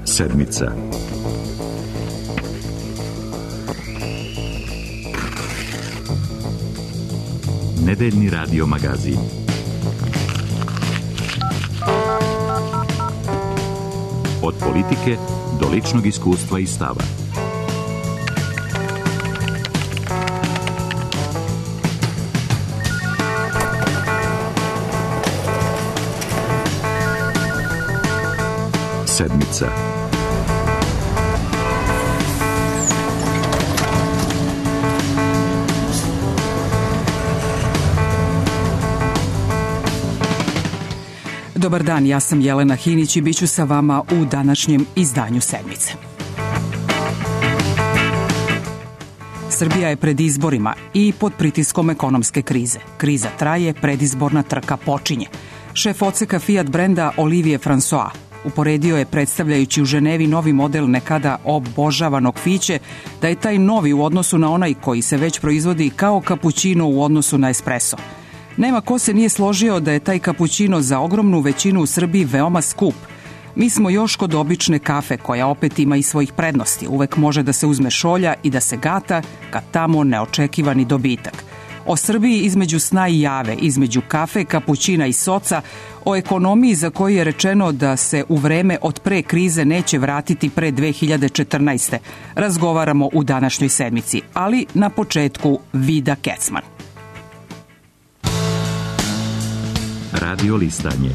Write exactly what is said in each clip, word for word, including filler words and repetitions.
Sedmica. Nedeljni radio magazin. Od politike do ličnog iskustva i stava. Sedmica. Dobar dan, ja sam Jelena Hinić i bit ću sa vama u današnjem izdanju Sedmice. Srbija je pred izborima i pod pritiskom ekonomske krize. Kriza traje, predizborna trka počinje. Šef odseka Fiat brenda Olivier François uporedio je, predstavljajući u Ženevi novi model nekada obožavanog Fiće, da je taj novi u odnosu na onaj koji se već proizvodi kao kapućino u odnosu na espresso. Nema ko se nije složio da je taj kapućino za ogromnu većinu u Srbiji veoma skup. Mi smo još kod obične kafe, koja opet ima i svojih prednosti. Uvek može da se uzme šolja i da se gata kad tamo neočekivani dobitak. O Srbiji između sna i jave, između kafe, kapućina i soca, o ekonomiji za koju je rečeno da se u vreme od pre krize neće vratiti pre dve hiljade četrnaeste. Razgovaramo u današnjoj sedmici, ali na početku Vida Kecman. Radio listanje.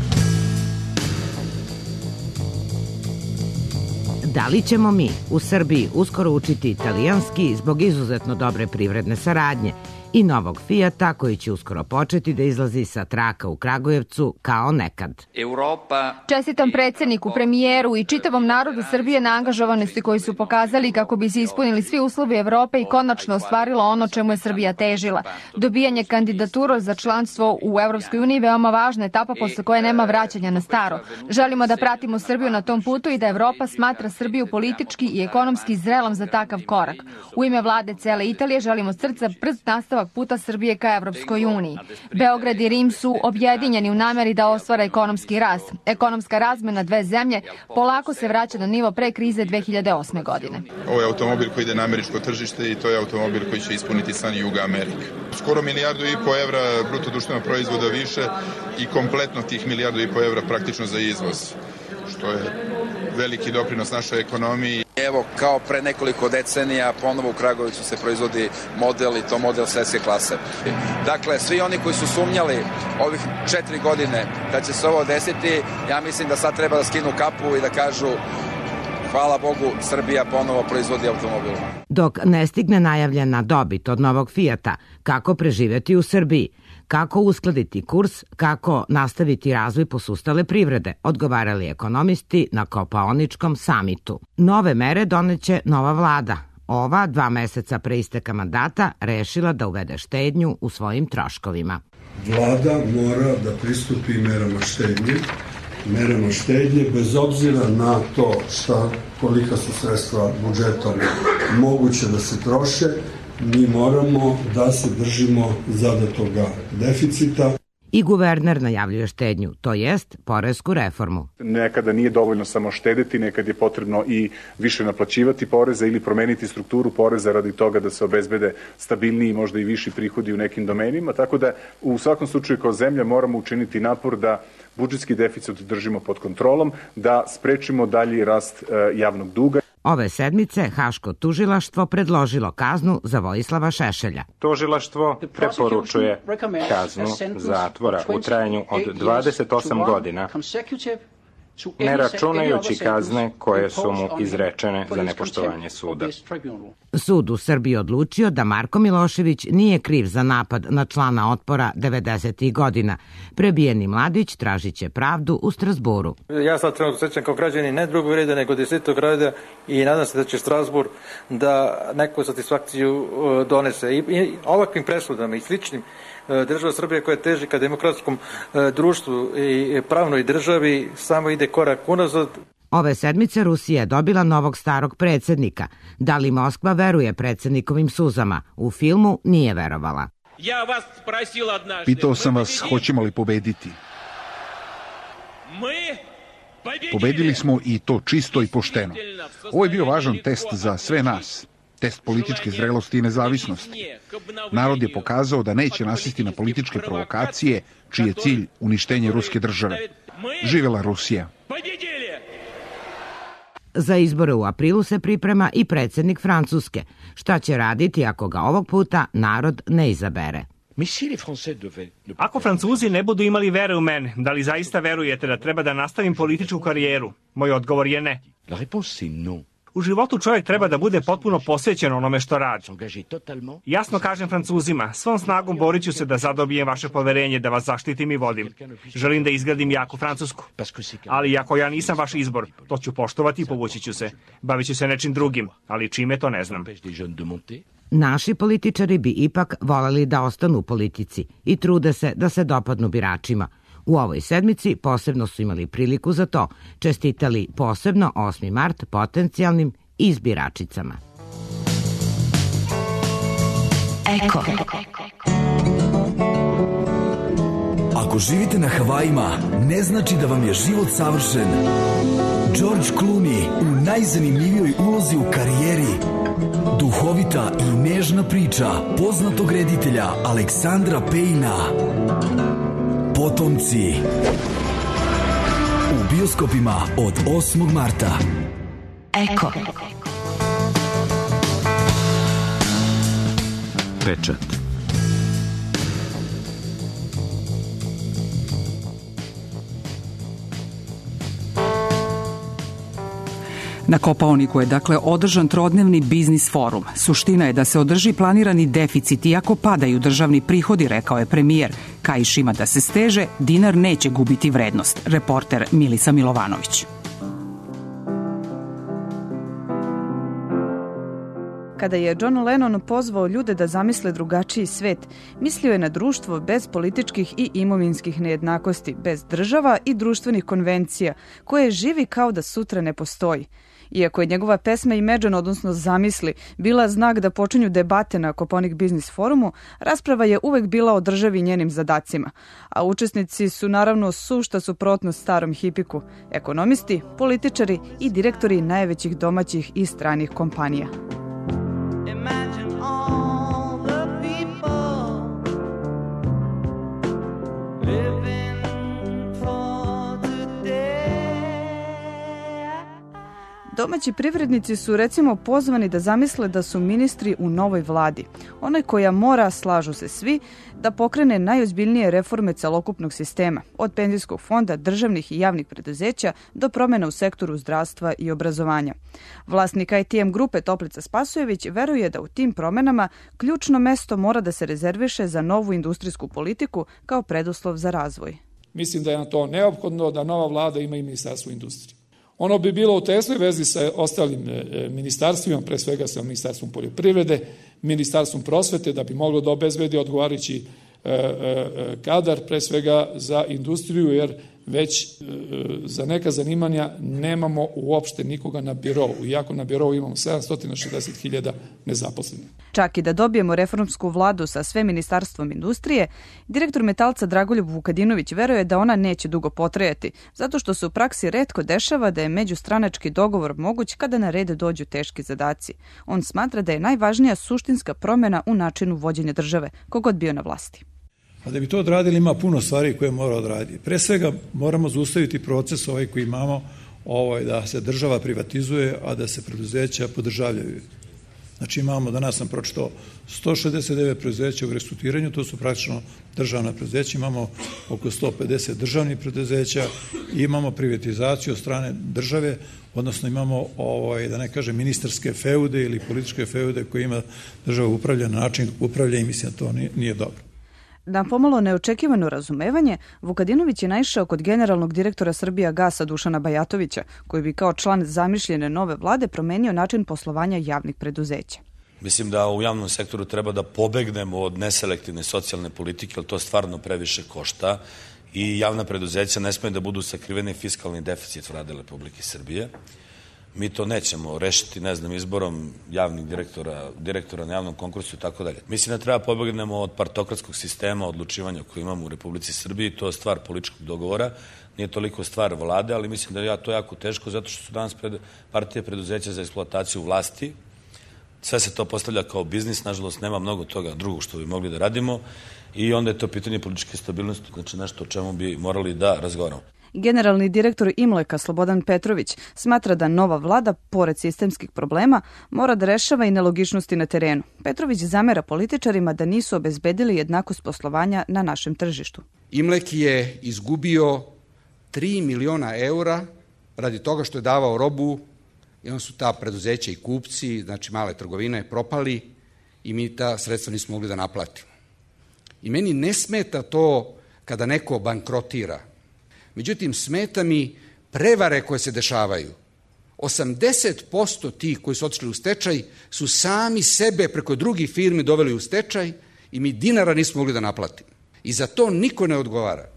Da li ćemo mi u Srbiji uskoro učiti italijanski zbog izuzetno dobre privredne saradnje i novog Fijata koji će uskoro početi da izlazi sa traka u Kragujevcu kao nekad? Čestitam predsjedniku, premijeru i čitavom narodu Srbije na angažovanosti koji su pokazali kako bi se ispunili svi uslovi Evrope i konačno ostvarilo ono čemu je Srbija težila. Dobijanje kandidatura za članstvo u Evropskoj uniji veoma važna etapa posle koje nema vraćanja na staro. Želimo da pratimo Srbiju na tom putu i da Evropa smatra Srbiju politički i ekonomski zrelom za takav korak. U ime vlade cele Italije želimo od srca brz nastavak puta Srbije ka Evropskoj uniji. Beograd i Rim su objedinjeni u nameri da ostvare ekonomski rast. Ekonomska razmena dve zemlje polako se vraća na nivo pre krize dve hiljade osme. godine. Ovo je automobil koji ide na američko tržište i to je automobil koji će ispuniti san Juga Amerike. Skoro milijardu i po evra bruto društvenog proizvoda više i kompletno tih milijardu i po evra praktično za izvoz, što je veliki doprinos našoj ekonomiji. Evo, kao pre nekoliko decenija, ponovo u Kragujevcu se proizvodi model i to model svetske klase. Dakle, svi oni koji su sumnjali ovih četiri godine da će se ovo desiti, ja mislim da sad treba da skinu kapu i da kažu hvala Bogu, Srbija ponovo proizvodi automobil. Dok ne stigne najavljena dobit od novog Fijata, kako preživjeti u Srbiji? Kako uskladiti kurs, kako nastaviti razvoj posustale privrede, odgovarali ekonomisti na Kopaoničkom samitu. Nove mere doneće nova vlada. Ova, dva meseca pre isteka mandata, rešila da uvede štednju u svojim troškovima. Vlada mora da pristupi merama štednje, merama štednje bez obzira na to šta, kolika su sredstva budžetom moguće da se troše. Mi moramo da se držimo zadatoga deficita. I guverner najavljuje štednju, to jest poresku reformu. Nekada nije dovoljno samo štediti, nekad je potrebno i više naplaćivati poreze ili promeniti strukturu poreza radi toga da se obezbede stabilniji, možda i viši prihodi u nekim domenima, tako da u svakom slučaju kao zemlja moramo učiniti napor da budžetski deficit držimo pod kontrolom, da sprečimo dalji rast e, javnog duga. Ove sedmice Haško tužilaštvo predložilo kaznu za Vojislava Šešelja. Tužilaštvo preporučuje kaznu zatvora u trajanju od dvadeset osam godina, ne računajući kazne koje su mu izrečene za nepoštovanje suda. Sud u Srbiji odlučio da Marko Milošević nije kriv za napad na člana Otpora devedesetih godina. Prebijeni mladić tražit će pravdu u Strasburu. Ja sad trenutno sećam kao građanin ne drugog reda nego desetog reda i nadam se da će Strasbur da neku satisfakciju donese. I, i ovakvim presudama i sličnim država Srbije koja teži ka demokratskom društvu i pravnoj državi samo ide korak unazad. Ove sedmice Rusija je dobila novog starog predsjednika. Da li Moskva veruje predsjednikovim suzama? U filmu nije verovala. Pitao sam vas hoćemo li pobediti. Pobedili smo i to čisto i pošteno. Ovo je bio važan test za sve nas. Test političke zrelosti i nezavisnosti. Narod je pokazao da neće nasesti na političke provokacije, čiji je cilj uništenje ruske države. Živela Rusija! Za izbore u aprilu se priprema i predsjednik Francuske. Šta će raditi ako ga ovog puta narod ne izabere? Ako Francuzi ne budu imali vere u mene, da li zaista verujete da treba da nastavim političku karijeru? Moj odgovor je ne. U životu čovjek treba da bude potpuno posvećen onome što radi. Jasno kažem Francuzima, svom snagom borit ću se da zadobijem vaše poverenje, da vas zaštitim i vodim. Želim da izgradim jaku Francusku. Ali ako ja nisam vaš izbor, to ću poštovati i povući ću se. Bavit ću se nečim drugim, ali čime to ne znam. Naši političari bi ipak voleli da ostanu u politici i trude se da se dopadnu biračima. U ovoj sedmici posebno su imali priliku za to, čestitali posebno osmi mart potencijalnim izbiračicama. Eko. Ako živite na Havajima, ne znači da vam je život savršen. George Clooney u najzanimljivijoj ulozi u karijeri. Duhovita i nežna priča poznatog reditelja Aleksandra Pejna. Potomci. U bioskopima od osmog marta. Eko. Pečat. Na Kopaoniku je dakle održan trodnevni biznis forum. Suština je da se održi planirani deficit iako padaju državni prihodi, rekao je premijer. Kaiš ima da se steže, dinar neće gubiti vrednost. Reporter Milisa Milovanović. Kada je John Lennon pozvao ljude da zamisle drugačiji svet, mislio je na društvo bez političkih i imovinskih nejednakosti, bez država i društvenih konvencija, koje živi kao da sutra ne postoji. Iako je njegova pesma Imagine, odnosno Zamisli, bila znak da počinju debate na Kopaonik Biznis forumu, rasprava je uvek bila o državi i njenim zadacima. A učesnici su naravno sušta suprotnost starom hipiku, ekonomisti, političari i direktori najvećih domaćih i stranih kompanija. Domaći privrednici su recimo pozvani da zamisle da su ministri u novoj vladi, onoj koja mora, slažu se svi, da pokrene najozbiljnije reforme celokupnog sistema, od penzijskog fonda, državnih i javnih preduzeća do promjena u sektoru zdravstva i obrazovanja. Vlasnik I T M grupe Toplica Spasojević veruje da u tim promjenama ključno mesto mora da se rezerviše za novu industrijsku politiku kao preduslov za razvoj. Mislim da je na to neophodno da nova vlada ima i ministarstvo industrije. Ono bi bilo u tesnoj vezi sa ostalim ministarstvima, pre svega sa ministarstvom poljoprivrede, ministarstvom prosvete, da bi moglo da obezbedi odgovarajući kadar, pre svega za industriju, jer već za neka zanimanja nemamo uopšte nikoga na birovu, iako na birovu imamo sedamsto šezdeset hiljada nezaposlenih. Čak i da dobijemo reformsku vladu sa sve ministarstvom industrije, direktor Metalca Dragoljub Vukadinović veruje da ona neće dugo potrajati, zato što se u praksi retko dešava da je međustranački dogovor moguć kada na red dođu teški zadaci. On smatra da je najvažnija suštinska promjena u načinu vođenja države, kogod bio na vlasti. A da bi to odradili ima puno stvari koje mora odraditi. Pre svega moramo zaustaviti proces ovaj koji imamo, ovaj, da se država privatizuje, a da se preduzeća podržavljaju. Znači imamo, danas sam pročitao, sto šezdeset devet preduzeća u restrukturiranju, to su praktično državna preduzeća, imamo oko sto pedeset državnih preduzeća i imamo privatizaciju od strane države, odnosno imamo, ovaj, da ne kažem, ministarske feude ili političke feude koje ima država upravlja na način upravlja i mislim da to nije, nije dobro. Na pomalo neočekivano razumevanje, Vukadinović je naišao kod generalnog direktora Srbija Gasa Dušana Bajatovića, koji bi kao član zamišljene nove vlade promenio način poslovanja javnih preduzeća. Mislim da u javnom sektoru treba da pobegnemo od neselektivne socijalne politike, jer to stvarno previše košta i javna preduzeća ne smije da budu sakriveni fiskalni deficit Vlade Republike Srbije. Mi to nećemo rešiti, ne znam, izborom javnih direktora, direktora na javnom konkursu i tako dalje. Mislim da treba pobegnemo od partokratskog sistema odlučivanja koji imamo u Republici Srbiji, to je stvar političkog dogovora, nije toliko stvar vlade, ali mislim da je to jako teško zato što su danas pred, partije preduzeća za eksploataciju vlasti. Sve se to postavlja kao biznis, nažalost nema mnogo toga drugog što bi mogli da radimo i onda je to pitanje političke stabilnosti, znači nešto o čemu bi morali da razgovaramo. Generalni direktor Imleka Slobodan Petrović smatra da nova vlada, pored sistemskih problema, mora da rešava i nelogičnosti na terenu. Petrović zamera političarima da nisu obezbedili jednakost poslovanja na našem tržištu. Imlek je izgubio tri miliona eura radi toga što je davao robu i onda su ta preduzeća i kupci, znači male trgovine, propali i mi ta sredstva nismo mogli da naplatimo. I meni ne smeta to kada neko bankrotira. Međutim, smeta mi prevare koje se dešavaju. osamdeset posto tih koji su otišli u stečaj su sami sebe preko drugih firmi doveli u stečaj i mi dinara nismo mogli da naplatimo. I za to niko ne odgovara.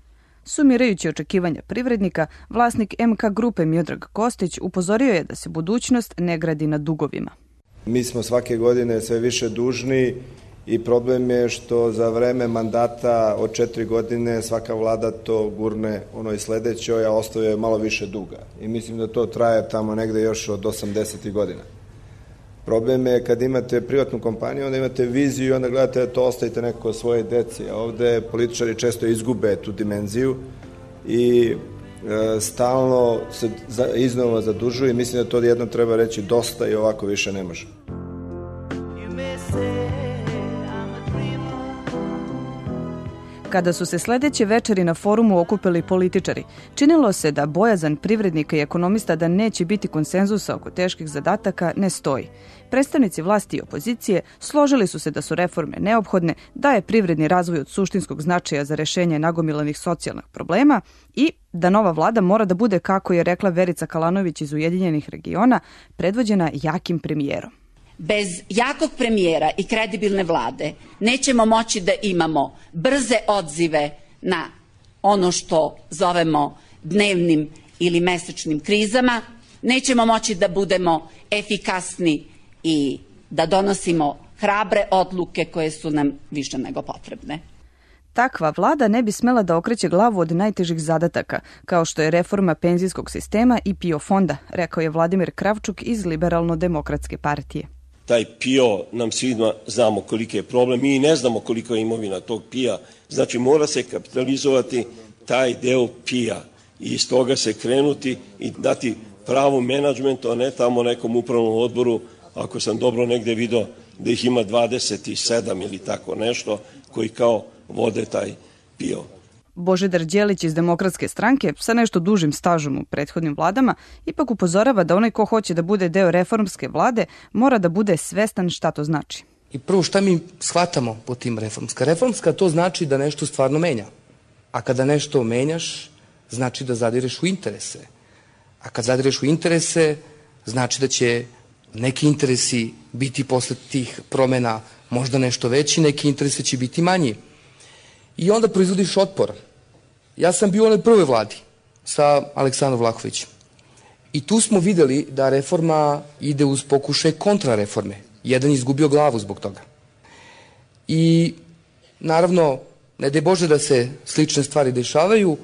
Sumirajući očekivanja privrednika, vlasnik M K grupe Miodrag Kostić upozorio je da se budućnost ne gradi na dugovima. Mi smo svake godine sve više dužni i problem je što za vreme mandata od četiri godine svaka vlada to gurne onoj sledećoj, a ostavuje malo više duga. I mislim da to traje tamo negde još od osamdesetih godina. Problem je kad imate privatnu kompaniju, onda imate viziju i onda gledate da to ostavite neko svoje deci. A ovde političari često izgube tu dimenziju i e, stalno se za, iznova zadužuju i mislim da to jedno treba reći dosta i ovako više ne može. Kada su se sledeće večeri na forumu okupili političari, činilo se da bojazan privrednika i ekonomista da neće biti konsenzusa oko teških zadataka ne stoji. Predstavnici vlasti i opozicije složili su se da su reforme neophodne, da je privredni razvoj od suštinskog značaja za rešenje nagomilanih socijalnih problema i da nova vlada mora da bude, kako je rekla Verica Kalanović iz Ujedinjenih regiona, predvođena jakim premijerom. Bez jakog premijera i kredibilne vlade nećemo moći da imamo brze odzive na ono što zovemo dnevnim ili mesečnim krizama, nećemo moći da budemo efikasni i da donosimo hrabre odluke koje su nam više nego potrebne. Takva vlada ne bi smela da okreće glavu od najtežih zadataka, kao što je reforma penzijskog sistema i P I O fonda, rekao je Vladimir Kravčuk iz Liberalno-demokratske partije. Taj P I O nam svima znamo koliki je problem, mi ne znamo koliko je imovina tog P I A, znači mora se kapitalizovati taj deo P I A i iz toga se krenuti i dati pravu menadžmentu, a ne tamo nekom upravnom odboru, ako sam dobro negde video da ih ima dvadeset sedam ili tako nešto, koji kao vode taj P I O. Božidar Đelić iz Demokratske stranke, sa nešto dužim stažom u prethodnim vladama, ipak upozorava da onaj ko hoće da bude deo reformske vlade mora da bude svestan šta to znači. I prvo šta mi shvatamo po tim reformska? Reformska to znači da nešto stvarno menja. A kada nešto menjaš, znači da zadireš u interese. A kad zadireš u interese, znači da će neki interesi biti posle tih promena možda nešto veći, neki interesi će biti manji. I onda proizvodiš otpor. Ja sam bio u onoj prvoj vladi sa Aleksandrom Vlahovićem. I tu smo videli da reforma ide uz pokušaj kontrareforme. Jedan je izgubio glavu zbog toga. I naravno, ne daj Bože da se slične stvari dešavaju,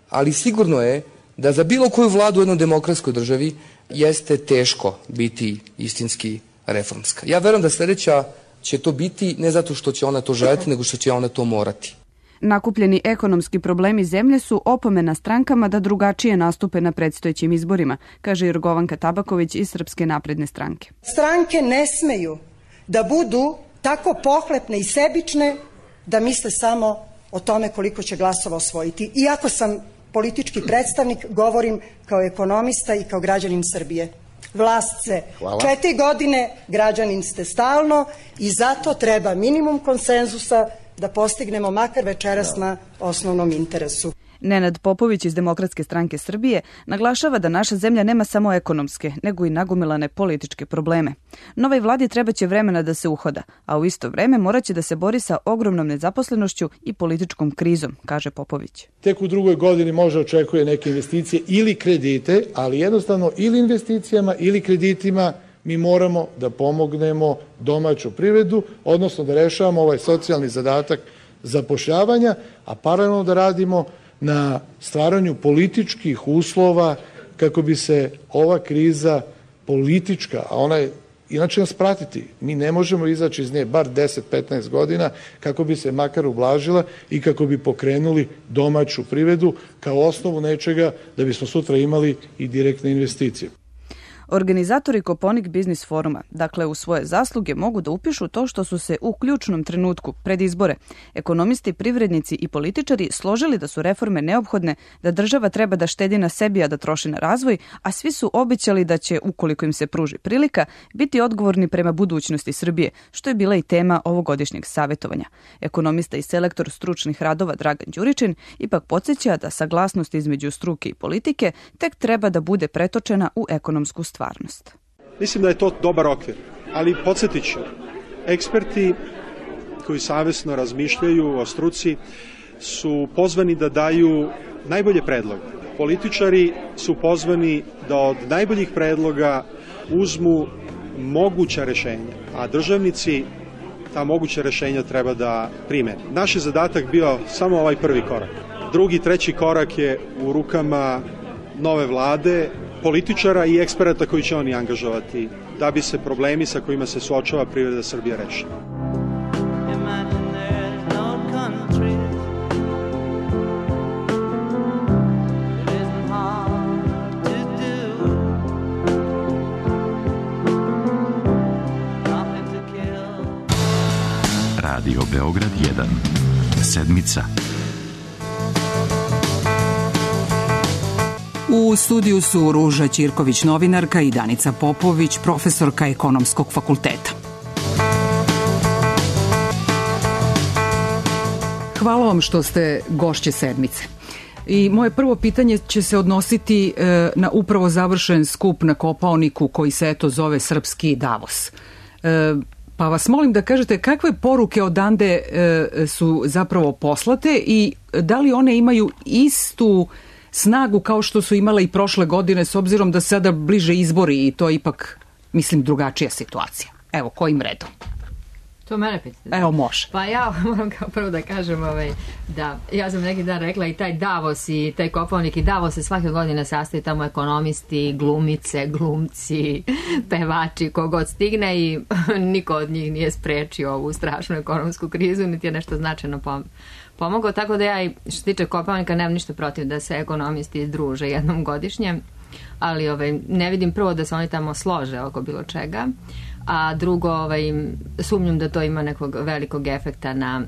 ali sigurno je da za bilo koju vladu u jednoj demokratskoj državi jeste teško biti istinski reformska. Ja verujem da sledeća će to biti ne zato što će ona to željeti, nego što će ona to morati. Nakupljeni ekonomski problemi zemlje su opomena strankama da drugačije nastupe na predstojećim izborima, kaže Jorgovanka Tabaković iz Srpske napredne stranke. Stranke ne smeju da budu tako pohlepne i sebične da misle samo o tome koliko će glasova osvojiti. Iako sam politički predstavnik, govorim kao ekonomista i kao građanin Srbije. Vlast se Hvala. četiri godine, građanin ste stalno i zato treba minimum konsenzusa da postignemo makar večeras na osnovnom interesu. Nenad Popović iz Demokratske stranke Srbije naglašava da naša zemlja nema samo ekonomske, nego i nagomilane političke probleme. Novoj vladi trebaće vremena da se uhoda, a u isto vreme moraće da se bori sa ogromnom nezaposlenošću i političkom krizom, kaže Popović. Tek u drugoj godini može očekuje neke investicije ili kredite, ali jednostavno ili investicijama ili kreditima mi moramo da pomognemo domaću privredu, odnosno da rešavamo ovaj socijalni zadatak zapošljavanja, a paralelno da radimo na stvaranju političkih uslova kako bi se ova kriza politička, a ona je inače nas pratiti. Mi ne možemo izaći iz nje bar deset do petnaest godina kako bi se makar ublažila i kako bi pokrenuli domaću privredu kao osnovu nečega da bismo sutra imali i direktne investicije. Organizatori Koponik Biznis foruma, dakle u svoje zasluge mogu da upišu to što su se u ključnom trenutku, pred izbore, ekonomisti, privrednici i političari složili da su reforme neophodne, da država treba da štedi na sebi, a da troši na razvoj, a svi su obećali da će, ukoliko im se pruži prilika, biti odgovorni prema budućnosti Srbije, što je bila i tema ovogodišnjeg savjetovanja. Ekonomista i selektor stručnih radova Dragan Đuričin ipak podsjeća da saglasnost između struke i politike tek treba da bude pretočena u ekonomsku stvarnost. Stvarnost. Mislim da je to dobar okvir, ali podsjetit ću, eksperti koji savesno razmišljaju o struci su pozvani da daju najbolje predloge. Političari su pozvani da od najboljih predloga uzmu moguća rešenja, a državnici ta moguća rešenja treba da primene. Naš je zadatak bio samo ovaj prvi korak. Drugi, treći korak je u rukama nove vlade, političara i eksperata koji će oni angažovati da bi se problemi sa kojima se suočava privreda Srbije rešili. Radio Beograd jedan. Sedmica. U studiju su Ruža Ćirković, novinarka, i Danica Popović, profesorka Ekonomskog fakulteta. Hvala vam što ste gošće sedmice. I moje prvo pitanje će se odnositi e, na upravo završen skup na Kopaoniku koji se eto zove Srpski Davos. E, pa vas molim da kažete kakve poruke odande e, su zapravo poslate i da li one imaju istu snagu kao što su imale i prošle godine, s obzirom da sada bliže izbori i to je ipak, mislim, drugačija situacija. Evo, kojim redom? To mene pitate. Evo, može. Pa ja moram kao prvo da kažem ovaj, da ja sam neki dan rekla i taj Davos i taj Kopaonik i Davos se svake godine sastoji tamo ekonomisti, glumice, glumci, pevači, kogod stigne i niko od njih nije sprečio ovu strašnu ekonomsku krizu, niti je nešto značajno pom pomogao, tako da ja i što se tiče Kopaonika nemam ništa protiv da se ekonomisti druže jednom godišnje, ali ovaj, ne vidim prvo da se oni tamo slože oko bilo čega, a drugo ovaj, sumnjam da to ima nekog velikog efekta na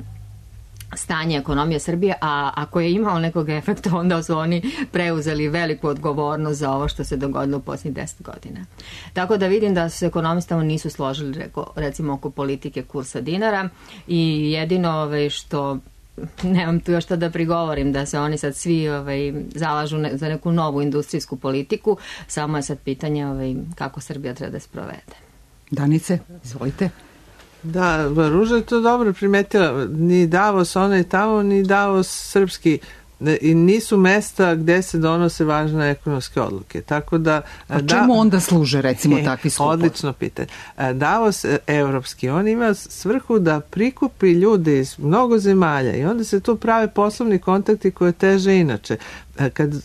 stanje ekonomije Srbije, a ako je imao nekog efekta, onda su oni preuzeli veliku odgovornost za ovo što se dogodilo u posljednjih deset godina. Tako da vidim da se ekonomistama nisu složili recimo oko politike kursa dinara i jedino ovaj, što nemam tu još što da prigovorim, da se oni sad svi ovaj, zalažu ne, za neku novu industrijsku politiku, samo je sad pitanje ovaj, kako Srbija treba da se provede. Danice, izvolite. Da, Ruža je to dobro primetila. Ni Davos onaj tamo, ni Davos srpski. I nisu mesta gde se donose važne ekonomske odluke. Tako da, a čemu onda služe recimo takvi skupovi? Odlično pitanje. Davos evropski, on ima svrhu da prikupi ljude iz mnogo zemalja i onda se tu prave poslovni kontakti koje teže inače. Kad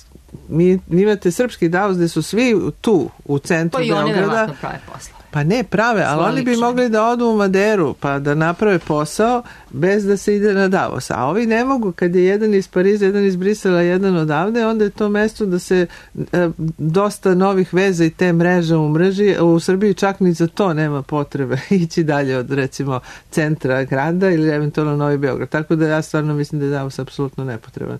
mi imate srpski Davos gde su svi tu u centru Beograda. Pa i oni verovatno prave posla. Pa ne prave, ali oni bi mogli da odu u Maderu pa da naprave posao bez da se ide na Davos. A ovi ne mogu, kad je jedan iz Pariza, jedan iz Brisela, jedan odavde, onda je to mesto da se e, dosta novih veza i te mreže umreži. U Srbiji čak ni za to nema potrebe ići dalje od recimo centra grada ili eventualno Novi Beograd. Tako da ja stvarno mislim da je Davos apsolutno nepotreban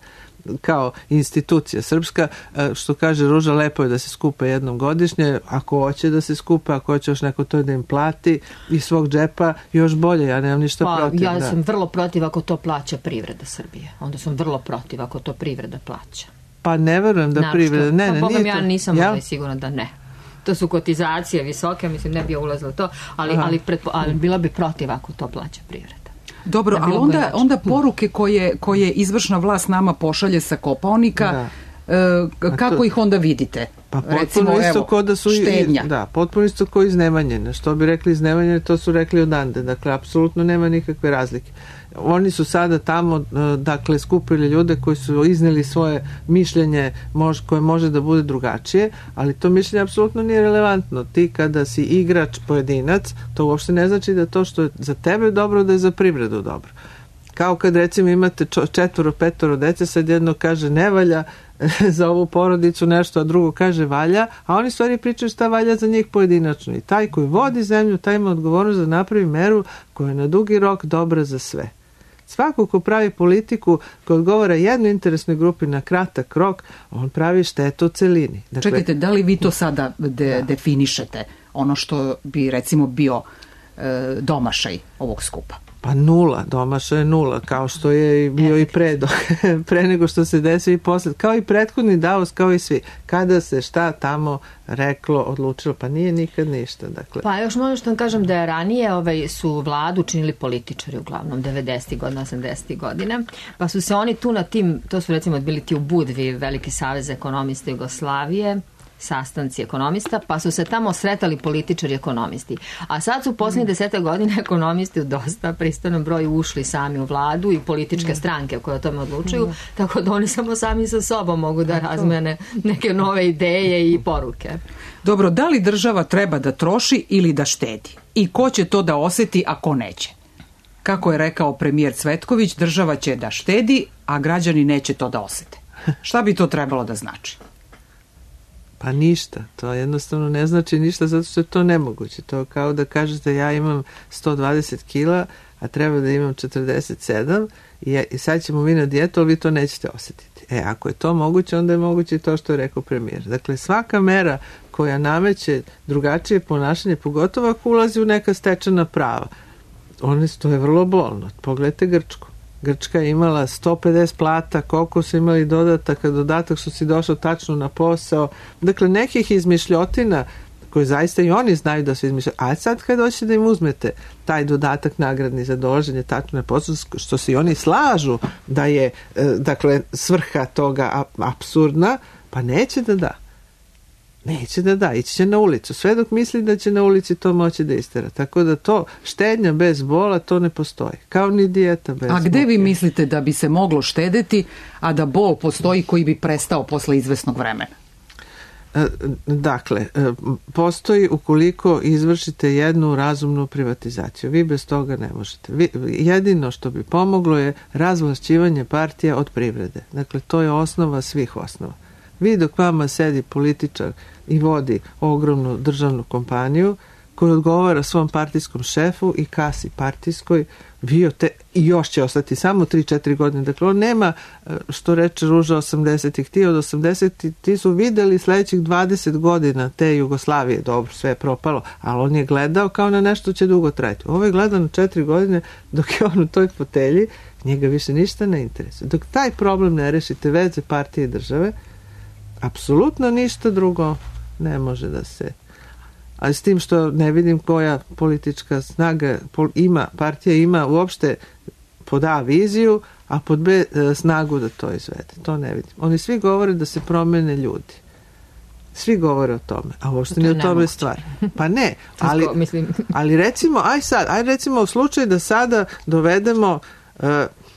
kao institucija srpska, što kaže Ruža, lepo je da se skupe jednom godišnje, ako hoće da se skupe, ako hoće još neko to da im plati iz svog džepa, još bolje, ja nemam ništa pa, protiv. Ja da. sam vrlo protiv ako to plaća privreda Srbije. Onda sam vrlo protiv ako to privreda plaća. Pa ne verujem da Naravno, privreda, ne, ne, pa, nije ja to. nisam ja? sigurna da ne. To su kotizacije visoke, mislim ne bi ja ulazila to, ali, ali, pretpo, ali bila bi protiv ako to plaća privreda. Dobro, ali onda, onda poruke koje, koje izvršna vlast nama pošalje sa Kopaonika, da. e, kako to, ih onda vidite? Pa recimo, isto evo, ko da su štednja. I, da, potpuno isto ko iznemanjene. Što bi rekli iznemanjene, to su rekli odande. Dakle, apsolutno nema nikakve razlike. Oni su sada tamo, dakle, skupili ljude koji su izneli svoje mišljenje mož, koje može da bude drugačije, ali to mišljenje apsolutno nije relevantno. Ti kada si igrač, pojedinac, to uopšte ne znači da to što je za tebe dobro, da je za privredu dobro. Kao kad recimo imate četvoro, petoro dece, sad jedno kaže ne valja za ovu porodicu nešto, a drugo kaže valja, a oni stvari pričaju šta valja za njih pojedinačno. I taj koji vodi zemlju, taj ima odgovornost da napravi meru koja je na dugi rok dobra za sve. Svako ko pravi politiku koja odgovara jednoj interesnoj grupi na kratak rok, on pravi štetu u celini. Dakle, čekajte, da li vi to sada de, da. definišete, ono što bi recimo bio e, domašaj ovog skupa? Pa nula, domaša je nula, kao što je bio i pre, do, pre nego što se desio i posle, kao i prethodni Davos, kao i svi. Kada se šta tamo reklo, odlučilo, pa nije nikad ništa. Dakle. Pa još možda što vam kažem da je ranije ovaj, su vladu činili političari uglavnom, devedesetih godina, osamdesetih godina, pa su se oni tu na tim, to su recimo bili ti u Budvi, Veliki savez ekonomista Jugoslavije, sastanci ekonomista, pa su se tamo sretali političari ekonomisti. A sad su u posljednjih deseta godina ekonomisti u dosta pristojnom broju ušli sami u vladu i političke stranke koje o tome odlučuju, tako da oni samo sami sa sobom mogu da razmene neke nove ideje i poruke. Dobro, da li država treba da troši ili da štedi? I ko će to da oseti, a ko neće? Kako je rekao premijer Cvetković, država će da štedi, a građani neće to da osete. Šta bi to trebalo da znači? Pa ništa, to jednostavno ne znači ništa zato što je to nemoguće. To kao da kažete ja imam sto dvadeset kila, a treba da imam četrdeset sedam i, ja, i sad ćemo mi na dijetu, ali vi to nećete osjetiti. E, ako je to moguće, onda je moguće to što je rekao premijer. Dakle, svaka mera koja nameće drugačije ponašanje, pogotovo ako ulazi u neka stečena prava, one, to je vrlo bolno. Pogledajte Grčku. Grčka je imala sto pedeset plata, koliko su imali dodataka, dodatak što si došao tačno na posao. Dakle, nekih izmišljotina koje zaista i oni znaju da su izmišljati. A sad kad hoćete da im uzmete taj dodatak nagradni za dolaženje tačno na posao, što se i oni slažu da je, dakle, svrha toga apsurdna, pa neće da da. Neće da da, ići će na ulicu. Sve dok misli da će na ulici to moći da istera. Tako da to, štednja bez bola, to ne postoji. Kao ni dijeta bez bola. A gde vi mislite da bi se moglo štedeti, a da bol postoji koji bi prestao posle izvesnog vremena? Dakle, postoji ukoliko izvršite jednu razumnu privatizaciju. Vi bez toga ne možete. Vi, jedino što bi pomoglo je razvlašćivanje partija od privrede. Dakle, to je osnova svih osnova. Vi dok vama sedi političar i vodi ogromnu državnu kompaniju koja odgovara svom partijskom šefu i kasi partijskoj, vi te, i još će ostati samo tri četiri godine. Dakle, on nema, što reče Ruža, osamdesetih. Ti od osamdesetih ti su videli sledećih dvadeset godina te Jugoslavije. Dobro, sve je propalo, ali on je gledao kao na nešto će dugo trajati. Ovo je gledao na četiri godine dok je on u toj fotelji, njega više ništa ne interesuje. Dok taj problem ne rešite veze partije i države, apsolutno ništa drugo ne može da se... Ali s tim što ne vidim koja politička snaga ima, partija ima uopšte pod A viziju, a pod B snagu da to izvede. To ne vidim. Oni svi govore da se promene ljudi. Svi govore o tome, a uopšte nije o tome stvar. Pa ne, ali, ali recimo, aj sad, aj recimo u slučaju da sada dovedemo... Uh,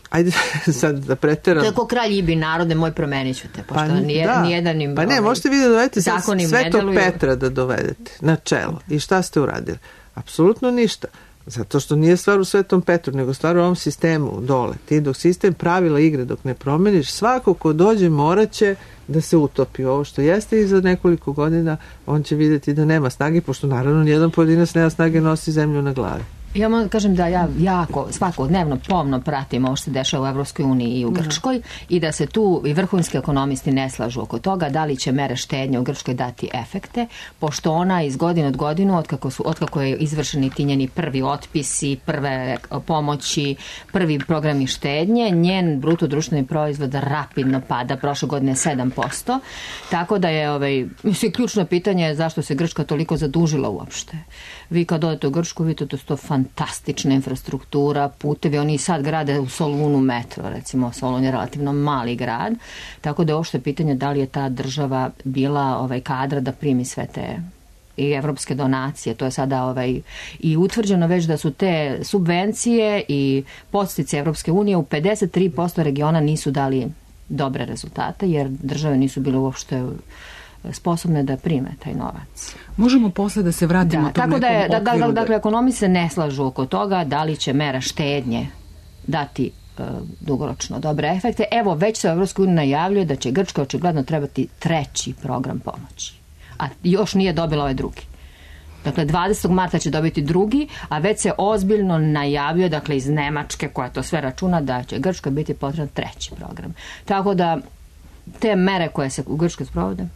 ajde sad da preteram. To je ko kralj Ibi narode, moj promenit ću te, pošto pa, nije, da. nijedan im... Pa ne, možete vi da dovedete Svetog Petra da dovedete na čelo. I šta ste uradili? Apsolutno ništa. Zato što nije stvar u Svetom Petru, nego stvar u ovom sistemu dole. Ti dok sistem pravila igre, dok ne promeniš, svako ko dođe morat će da se utopi. Ovo što jeste i za nekoliko godina, on će vidjeti da nema snage, pošto naravno nijedan pojedinac nema snage, nosi zemlju na glavi. Ja moram da kažem da ja jako svakodnevno pomno pratim ovo što se dešava u Evropskoj uniji i u Grčkoj mm. i da se tu i vrhunski ekonomisti ne slažu oko toga da li će mere štednje u Grčkoj dati efekte, pošto ona iz godine od godinu, otkako, su, otkako je izvršeni ti njeni prvi otpisi, prve pomoći, prvi programi štednje, njen bruto društveni proizvod rapidno pada, prošle godine sedam posto, tako da je ovaj, mislim, ključno pitanje je zašto se Grčka toliko zadužila uopšte. Vi kad odete u Grčku, vidite da su to fantastična infrastruktura, putevi, oni i sad grade u Solunu metro, recimo Solun je relativno mali grad, tako da je uopšte pitanje da li je ta država bila ovaj, kadra da primi sve te i evropske donacije, to je sada ovaj, i utvrđeno već da su te subvencije i podstice Evropske unije u pedeset tri posto regiona nisu dali dobre rezultate, jer države nisu bile uopšte sposobne da prime taj novac. Možemo posle da se vratimo da, tom tako da je, nekom da, okviru. Da, dakle, ekonomi se ne slažu oko toga da li će mera štednje dati uh, dugoročno dobre efekte. Evo, već se u Evropskoj uniji najavljuje da će Grčka očigledno trebati treći program pomoći. A još nije dobila ovaj drugi. Dakle, dvadesetog marta će dobiti drugi, a već se ozbiljno najavljuje, dakle, iz Nemačke, koja to sve računa, da će Grčkoj biti potreban treći program. Tako da, te mere koje se u Grčkoj sprovode,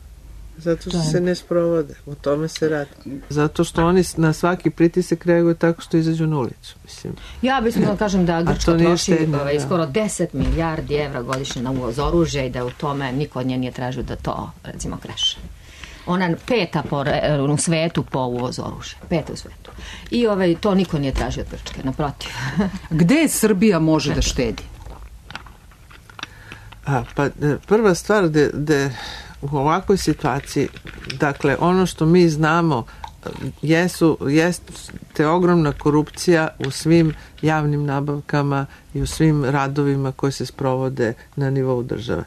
zato što se ne sprovode, o tome se radi. Zato što oni na svaki pritisak reaguju tako što izađu na ulicu. Mislim. Ja bih da kažem da Grčka troši štedno, ovaj, da. skoro deset milijardi evra godišnje na uvoz oružja i da u tome niko od nje nije tražio da to, recimo, kreše. Ona je peta po, u svetu po uvozu oružja. Peta u svetu. I ovaj, to niko nije tražio od Grčke, naprotiv. Gde Srbija može da štedi? A, pa prva stvar da, da u ovakvoj situaciji, dakle, ono što mi znamo jesu, jeste ogromna korupcija u svim javnim nabavkama i u svim radovima koji se sprovode na nivou države.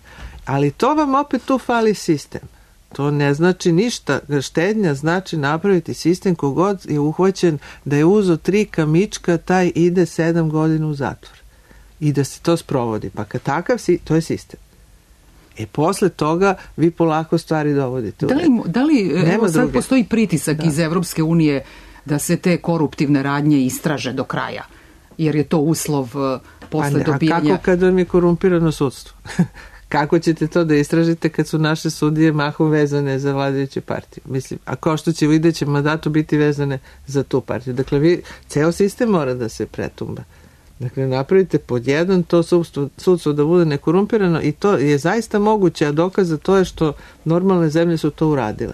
Ali to vam opet tu fali sistem. To ne znači ništa. Štednja znači napraviti sistem kogod je uhvaćen da je uzo tri kamička, taj ide sedam godina u zatvor. I da se to sprovodi. Pa kad takav si, to je sistem. E posle toga vi polako stvari dovodite. Da li, da li evo, sad druge. Postoji pritisak da. iz Evropske unije da se te koruptivne radnje istraže do kraja? Jer je to uslov uh, posle a ne, dobijanja... A kako kad vam je korumpirano sudstvo? Kako ćete to da istražite kad su naše sudije mahom vezane za vladajuću partiju? Mislim, a kao što će u idećem mandatu biti vezane za tu partiju. Dakle, vi, ceo sistem mora da se pretumba. Dakle, napravite pod jedan to sudstvo, sudstvo da bude nekorumpirano i to je zaista moguće, a dokaz za to je što normalne zemlje su to uradile.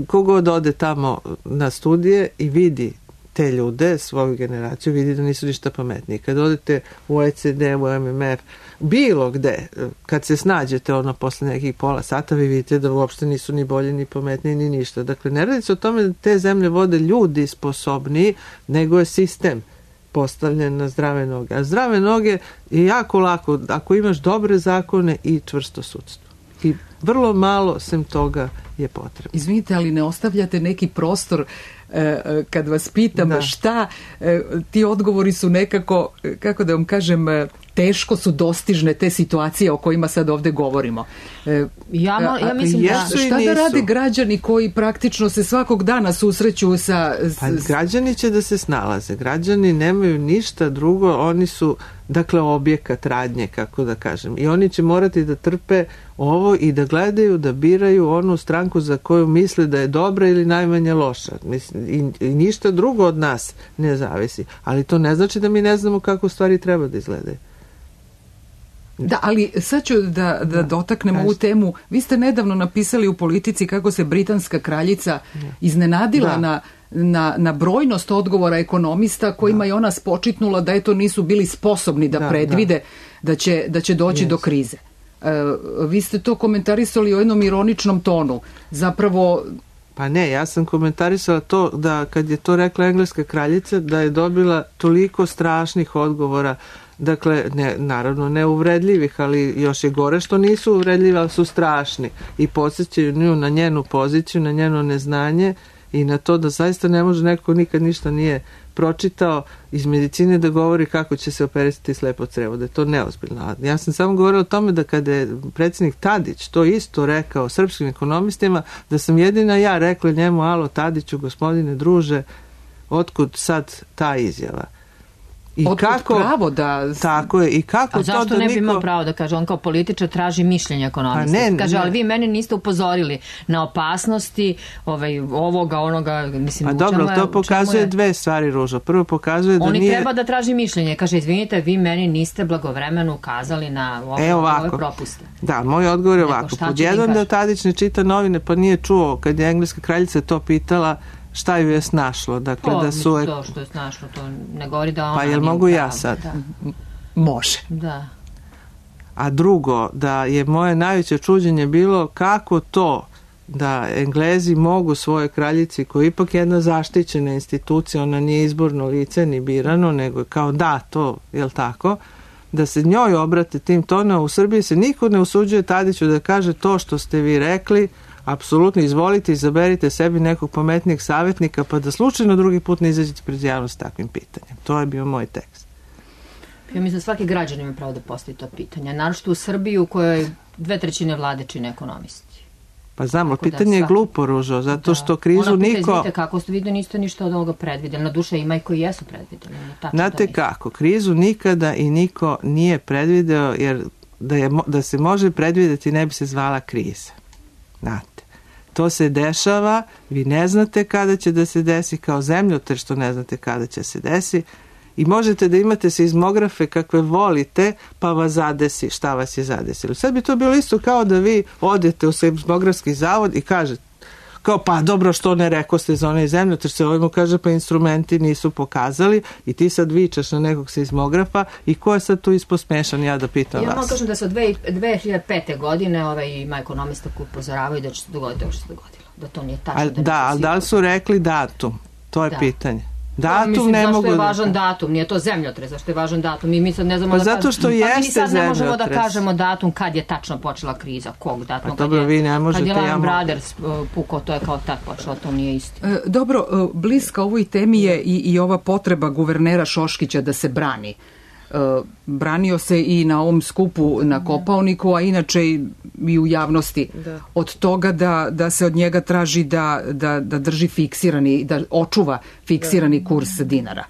Kogod ode tamo na studije i vidi te ljude, svoju generaciju, vidi da nisu ništa pametniji. Kad odete u O E C D, u M M F, bilo gde, kad se snađete ono posle nekih pola sata, vi vidite da uopšte nisu ni bolji, ni pametniji, ni ništa. Dakle, ne radi se o tome da te zemlje vode ljudi sposobniji, nego je sistem postavljen na zdrave noge. A zdrave noge je jako lako ako imaš dobre zakone i čvrsto sudstvo. I vrlo malo sem toga je potrebno. Izvinite, ali ne ostavljate neki prostor e, kad vas pitam da. šta, e, ti odgovori su nekako, kako da vam kažem, teško su dostižne te situacije o kojima sad ovde govorimo. E, ja, mo, ja mislim da... Šta da rade građani koji praktično se svakog dana susreću sa... S... Pa građani će da se snalaze. Građani nemaju ništa drugo, oni su, dakle, objekat radnje, kako da kažem. I oni će morati da trpe ovo i da gledaju, da biraju onu stranku za koju misle da je dobra ili najmanje loša. Mislim, i, i ništa drugo od nas ne zavisi. Ali to ne znači da mi ne znamo kako stvari treba da izgledaju. Da, ali sad ću da, da dotaknem ovu temu. Vi ste nedavno napisali u Politici kako se britanska kraljica iznenadila da. na, na, na brojnost odgovora ekonomista kojima da. je ona spočitnula da eto nisu bili sposobni da, da predvide da. Da, će, da će doći yes. do krize. E, vi ste to komentarisali u jednom ironičnom tonu. Zapravo... Pa ne, ja sam komentarisala to da kad je to rekla engleska kraljica da je dobila toliko strašnih odgovora. Dakle, ne, naravno ne uvredljivih, ali još je gore što nisu uvredljivi, ali su strašni i podsjećaju nju na njenu poziciju, na njeno neznanje i na to da zaista ne može neko nikad ništa nije pročitao iz medicine da govori kako će se operisati slepo crevo, da je to neozbiljno. Ja sam samo govorila o tome da kada je predsjednik Tadić to isto rekao srpskim ekonomistima, da sam jedina ja rekla njemu, alo Tadiću, gospodine druže, otkud sad ta izjava? I Otkud kako pravo da... Tako je, i kako A zašto to da ne bi niko... imao pravo da kaže, on kao političar traži mišljenje ekonomista. Pa ne, kaže, ne. ali vi meni niste upozorili na opasnosti ovaj, ovoga, onoga, mislim, pa dobro, je, to pokazuje je... dve stvari, Ružo. Prvo pokazuje da Oni nije... treba da traži mišljenje. Kaže, izvinite, vi meni niste blagovremeno ukazali na ove, e, ovako. ove propuste. Da, moj odgovor je ovako. Pod jedan da Tadić ne čita novine, pa nije čuo kad je engleska kraljica to pitala, šta ju je snašlo. Dakle, to, da su... to što je snašlo, to ne govori da ona... Pa jel mogu ja sad? Da. Može. Da. A drugo, da je moje najveće čuđenje bilo kako to da Englezi mogu svojoj kraljici, koja je ipak jedna zaštićena institucija, ona nije izborno lice ni birano, nego je kao da to, jel tako, da se njoj obrate tim tonom. U Srbiji se niko ne usuđuje Tadiću da kaže to što ste vi rekli, apsolutno izvolite, izaberite sebi nekog pametnijeg savjetnika pa da slučajno drugi put ne izađete pred javnost s takvim pitanjem. To je bio moj tekst. Ja mislim da svaki građan ima pravo da postavi to pitanje. Naročito u Srbiji u kojoj dve trećine vlade čine ekonomisti. Pa znam, ali pitanje je glupo, Ružo, zato što krizu ona niko... Ona pita, kako ste vidio, niste ništa od ovoga predvidjeli. Na duše ima i koji jesu predvidjeli. Znate kako, krizu nikada i niko nije predvideo, jer da, je, da se može predvidjeti ne bi se zvala kriza. Znate, to se dešava, vi ne znate kada će da se desi, kao zemljotres što ne znate kada će se desi, i možete da imate seizmografe kakve volite, pa vas zadesi šta vas je zadesilo. Sad bi to bilo isto kao da vi odete u seizmografski zavod i kažete, kao pa dobro što ne rekao ste za onaj zemljotres, se ovaj mu kaže pa instrumenti nisu pokazali i ti sad vičaš na nekog seizmografa i ko je sad tu isposmešan, ja da pitam ja vas. Ja vam kažem da se od dve hiljade pete. godine ovaj, ima ekonomista koji upozoravaju da će se dogoditi ovo što se dogodilo. Da to nije tačno. Al, da, da ali da li su rekli datum? To je da. pitanje. Datum mislim, ne zašto mogu je da... važan datum, nije to zemljotres, zašto je važan datum, mi, mi sad ne znamo pa da zato što kažemo, jeste pa mi sad ne možemo zemljotres. da kažemo datum kad je tačno počela kriza, kog datuma, pa dobro, kad, vi ne možete, kad je Lehman ja Brothers pukao, to je kao tak počelo, to nije isto. E, dobro, bliska ovoj temi je i, i ova potreba guvernera Šoškića da se brani. E, branio se i na ovom skupu na Kopaoniku, a inače i, i u javnosti da. Od toga da, da se od njega traži da, da, da drži fiksirani, da očuva fiksirani da. kurs dinara.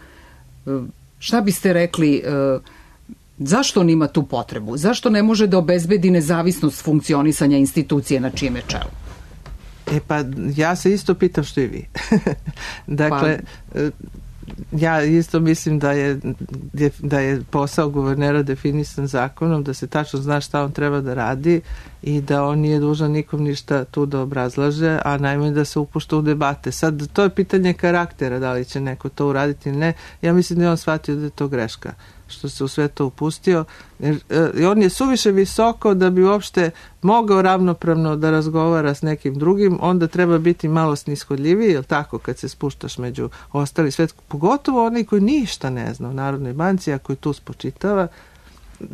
E, šta biste rekli, e, zašto on ima tu potrebu? Zašto ne može da obezbedi nezavisnost funkcionisanja institucije na čijem je čelu? E pa ja se isto pitam što i vi. Dakle, pa... ja isto mislim da je, da je posao guvernera definisan zakonom, da se tačno zna šta on treba da radi i da on nije dužan nikom ništa tu da obrazlaže, a najmanje da se upušta u debate. Sad, to je pitanje karaktera, da li će neko to uraditi ili ne. Ja mislim da je on shvatio da je to greška, što se u sve to upustio. Jer, e, on je suviše visoko da bi uopšte mogao ravnopravno da razgovara s nekim drugim, onda treba biti malo snishodljiviji, jel tako, kad se spuštaš među ostali svet, pogotovo oni koji ništa ne zna u Narodnoj banci, a koji tu spočitava.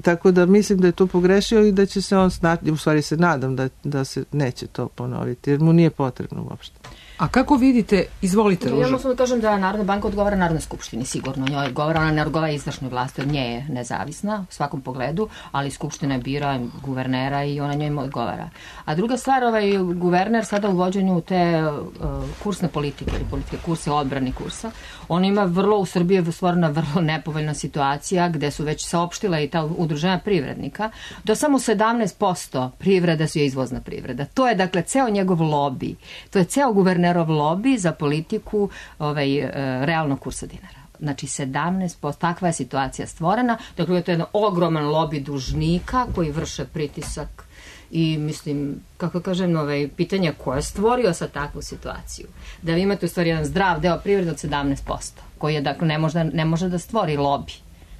Tako da mislim da je to pogrešio i da će se on snati, u stvari se nadam da, da se neće to ponoviti, jer mu nije potrebno uopšte. A kako vidite, izvolite, Ruža. Ja mogu da kažem da Narodna banka odgovara Narodnoj skupštini, sigurno. Njoj odgovara, ona ne odgovara izvršnoj vlasti, od nje je nezavisna u svakom pogledu, ali skupština bira guvernera i ona njoj odgovara. A druga stvar, ovaj guverner sada u vođenju te uh, kursne politike ili politike kursa, odbrani kursa, on ima vrlo, u Srbiji je stvorena vrlo nepovoljna situacija gde su već saopštila i ta udruženja privrednika, da samo sedamnaest posto privreda su je izvozna privreda. To je dakle ceo njegov lobi, to je ceo guverner lobby za politiku ovaj, e, realnog kursa dinara. Znači sedamnaest posto, takva je situacija stvorena. Dakle, to je jedan ogroman lobby dužnika koji vrše pritisak i mislim, kako kažem, ovaj, pitanje ko je stvorio sa takvu situaciju. Da vi imate u stvari jedan zdrav deo privrede od sedamnaest posto, koji je, dakle, ne može, ne može da stvori lobby.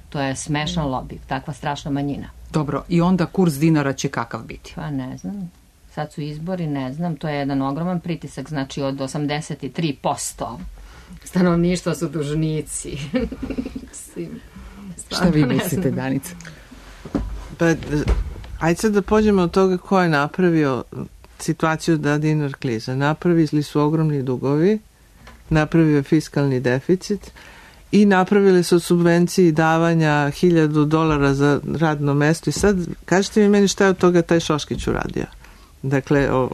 To je smešan lobby, takva strašna manjina. Dobro, i onda kurs dinara će kakav biti? Pa ne znam. Sad su izbori, ne znam, to je jedan ogroman pritisak, znači od osamdeset tri posto stanovništva su dužnici. Šta vi mislite, Danica? Pa, ajde sad da pođemo od toga ko je napravio situaciju da dinar kliza. Napravili su ogromni dugovi, napravio je fiskalni deficit i napravili su subvenciji davanja hiljadu dolara za radno mesto i sad kažete mi meni šta je od toga taj Šoškić uradio. Dakle, o,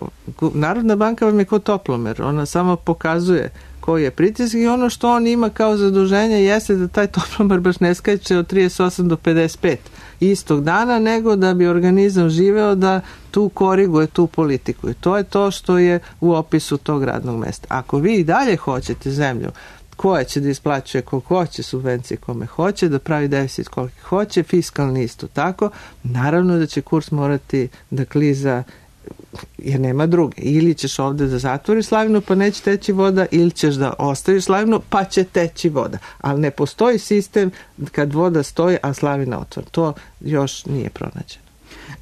Narodna banka vam je kao toplomer, ona samo pokazuje koji je pritisak i ono što on ima kao zaduženje jeste da taj toplomer baš ne skače od trideset osam do pedeset pet istog dana, nego da bi organizam živeo da tu koriguje tu politiku i to je to što je u opisu tog radnog mesta. Ako vi i dalje hoćete zemlju koja će da isplaćuje koliko hoće subvencije kome hoće, da pravi deficit koliko hoće, fiskalni isto tako, naravno da će kurs morati da kliza jer nema druge. Ili ćeš ovde da zatvoriš slavinu pa neće teći voda, ili ćeš da ostaviš slavinu pa će teći voda. Ali ne postoji sistem kad voda stoji, a slavina otvor. To još nije pronađeno.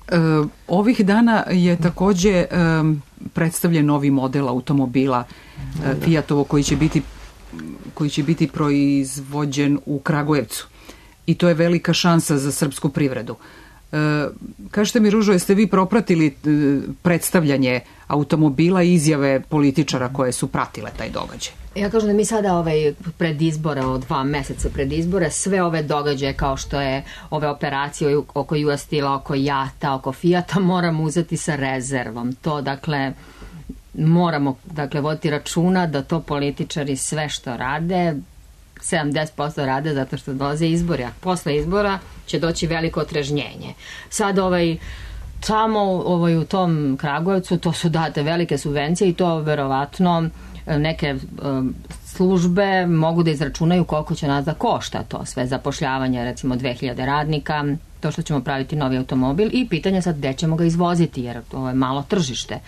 E, ovih dana je takođe e, predstavljen novi model automobila e, Fiatovo koji će biti koji će biti proizvođen u Kragujevcu. I to je velika šansa za srpsku privredu. E, kažete mi, Ružo, jeste vi propratili e, predstavljanje automobila i izjave političara koje su pratile taj događaj? Ja kažem da mi sada ovaj, pred izbore, od dva meseca pred izbore, sve ove događaje kao što je ove operacije oko U S Steel-a, oko Jata, oko Fijata, moramo uzeti sa rezervom. To, dakle, moramo dakle, voditi računa da to političari sve što rade, sedamdeset posto rade zato što dolaze izbori, a posle izbora će doći veliko otrežnjenje. Sad ovaj, tamo ovaj, u tom Kragujevcu to su date velike subvencije i to verovatno neke um, službe mogu da izračunaju koliko će nas da košta to sve zapošljavanje, recimo dve hiljade radnika, to što ćemo praviti novi automobil i pitanje sad gde ćemo ga izvoziti jer to je malo tržište.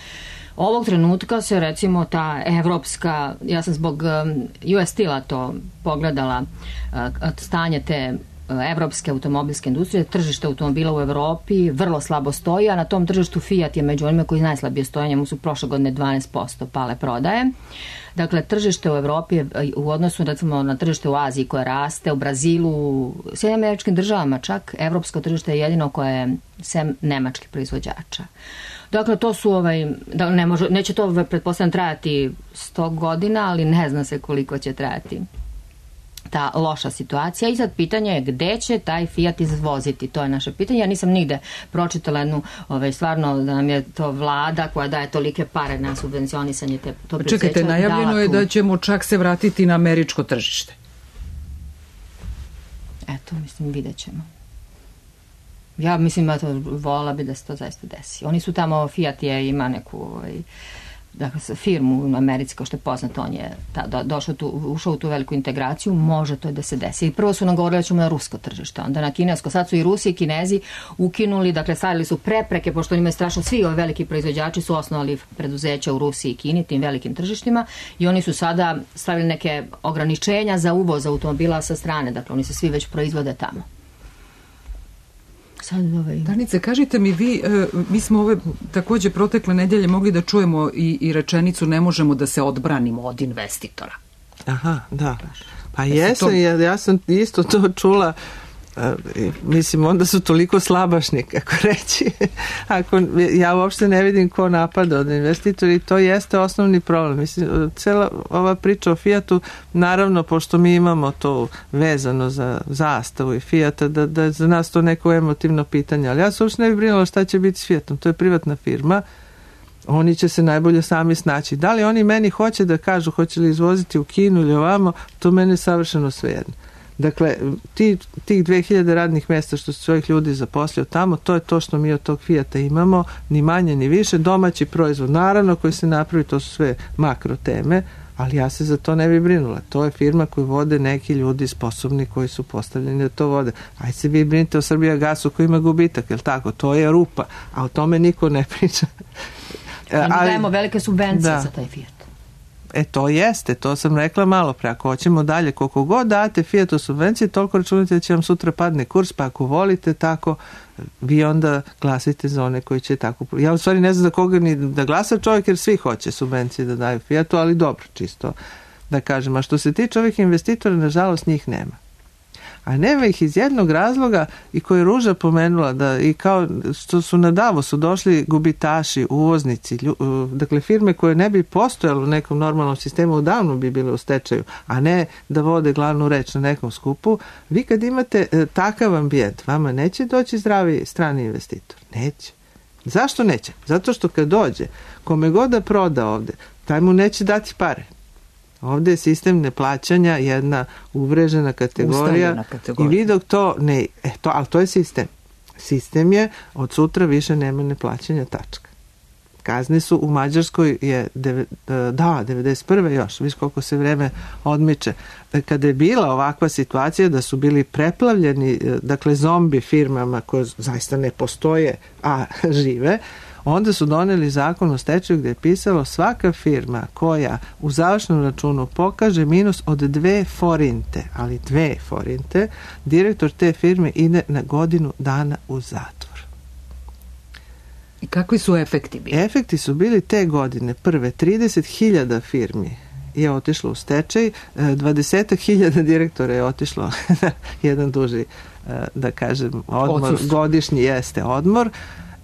Ovog trenutka se recimo ta evropska, ja sam zbog U S Steel-a to pogledala, stanje te evropske automobilske industrije, tržište automobila u Evropi vrlo slabo stoji, a na tom tržištu Fiat je među onima koji najslabije stoje, njemu su prošle godine dvanaest posto pale prodaje. Dakle, tržište u Evropi u odnosu recimo na tržište u Aziji koje raste, u Brazilu, u Sjedinjenim Američkim Državama čak, evropsko tržište je jedino koje je sem nemačkih proizvođača. Dakle, to su, ovaj, da ne može, neće to pretpostavljam trajati sto godina, ali ne zna se koliko će trajati ta loša situacija i sad pitanje je gde će taj Fiat izvoziti, to je naše pitanje. Ja nisam nigde pročitala jednu, ovaj, stvarno da nam je to vlada koja daje tolike pare na subvencionisanje te, to preduzeća. Čekajte, najavljeno je da ćemo čak se vratiti na američko tržište. Eto, mislim, vidjet ćemo. Ja mislim da to volila bi da se to zaista desi. Oni su tamo, Fiat je, ima neku ovaj, dakle, firmu u Americi, kao što je poznato, on je ta, do, došao tu, ušao u tu veliku integraciju, može to da se desi. I prvo su nam govorili da ćemo na rusko tržište, onda na kinesko. Sad su i Rusi i Kinezi ukinuli, dakle, stavili su prepreke, pošto oni imaju strašno, svi ovi veliki proizvođači su osnovali preduzeća u Rusiji i Kini, tim velikim tržištima, i oni su sada stavili neke ograničenja za uvoz automobila sa strane, dakle, oni se svi već proizvode tamo. Danice, kažite mi vi, mi smo ove takođe protekle nedelje mogli da čujemo i, i rečenicu ne možemo da se odbranimo od investitora. Aha, da. Pa jesam, to... ja, ja sam isto to čula. Mislim, onda su toliko slabašni, kako reći. Ako, ja uopšte ne vidim ko napada od investitora i to jeste osnovni problem. Mislim, cela ova priča o Fiatu, naravno, pošto mi imamo to vezano za zastavu i Fiata, da, da je za nas to neko emotivno pitanje, ali ja se uopšte ne bi brinula šta će biti s Fiatom. To je privatna firma. Oni će se najbolje sami snaći. Da li oni meni hoće da kažu hoće li izvoziti u Kinu ili ovamo, to mene je savršeno svejedno. Dakle, ti, tih dve hiljade radnih mjesta što su svojih ljudi zaposlio tamo, to je to što mi od tog Fijata imamo, ni manje ni više, domaći proizvod, naravno koji se napravi, to su sve makro teme, ali ja se za to ne bi brinula. To je firma koju vode neki ljudi sposobni koji su postavljeni da to vode. Ajde se vi brinite o Srbijagasu koji ima gubitak, jel tako? To je rupa, a o tome niko ne priča. Mi dajemo velike subvencije da. Za taj Fijat. E to jeste, to sam rekla malo pre, ako hoćemo dalje, koliko god date Fijatu subvencije, toliko računite da će vam sutra padne kurs, pa ako volite tako, vi onda glasite za one koji će tako... Ja u stvari ne znam za koga ni da glasa čovjek, jer svi hoće subvencije da daju Fijatu, ali dobro, čisto da kažem. A što se tiče ovih investitora, nažalost njih nema. A nema ih iz jednog razloga i koji je Ruža pomenula, da i kao što su na Davosu došli gubitaši, uvoznici, lju, dakle firme koje ne bi postojalo u nekom normalnom sistemu, odavno bi bile u stečaju, a ne da vode glavnu reč na nekom skupu. Vi kad imate e, takav ambijent, vama neće doći zdravi strani investitor. Neće. Zašto neće? Zato što kad dođe, kome god da proda ovde, taj mu neće dati pare. Ovdje je sistem neplaćanja jedna uvrežena kategorija, kategorija. I vi dok to ne, e, to, ali to je sistem. Sistem je od sutra više nema neplaćanja, tačka. Kazne su u Mađarskoj je deve, da, devedeset prve još, viš koliko se vreme odmiče. Kada je bila ovakva situacija da su bili preplavljeni, dakle zombi firmama koje zaista ne postoje, a žive, Onda su doneli zakon o stečaju gdje je pisalo svaka firma koja u završnom računu pokaže minus od dve forinte, ali dve forinte, direktor te firme ide na godinu dana u zatvor. I kakvi su efekti bili? Efekti su bili te godine prve trideset hiljada firmi je otišlo u stečaj, dvadeset hiljada direktora je otišlo na jedan duži, da kažem, odmor, Odsus. godišnji jeste odmor,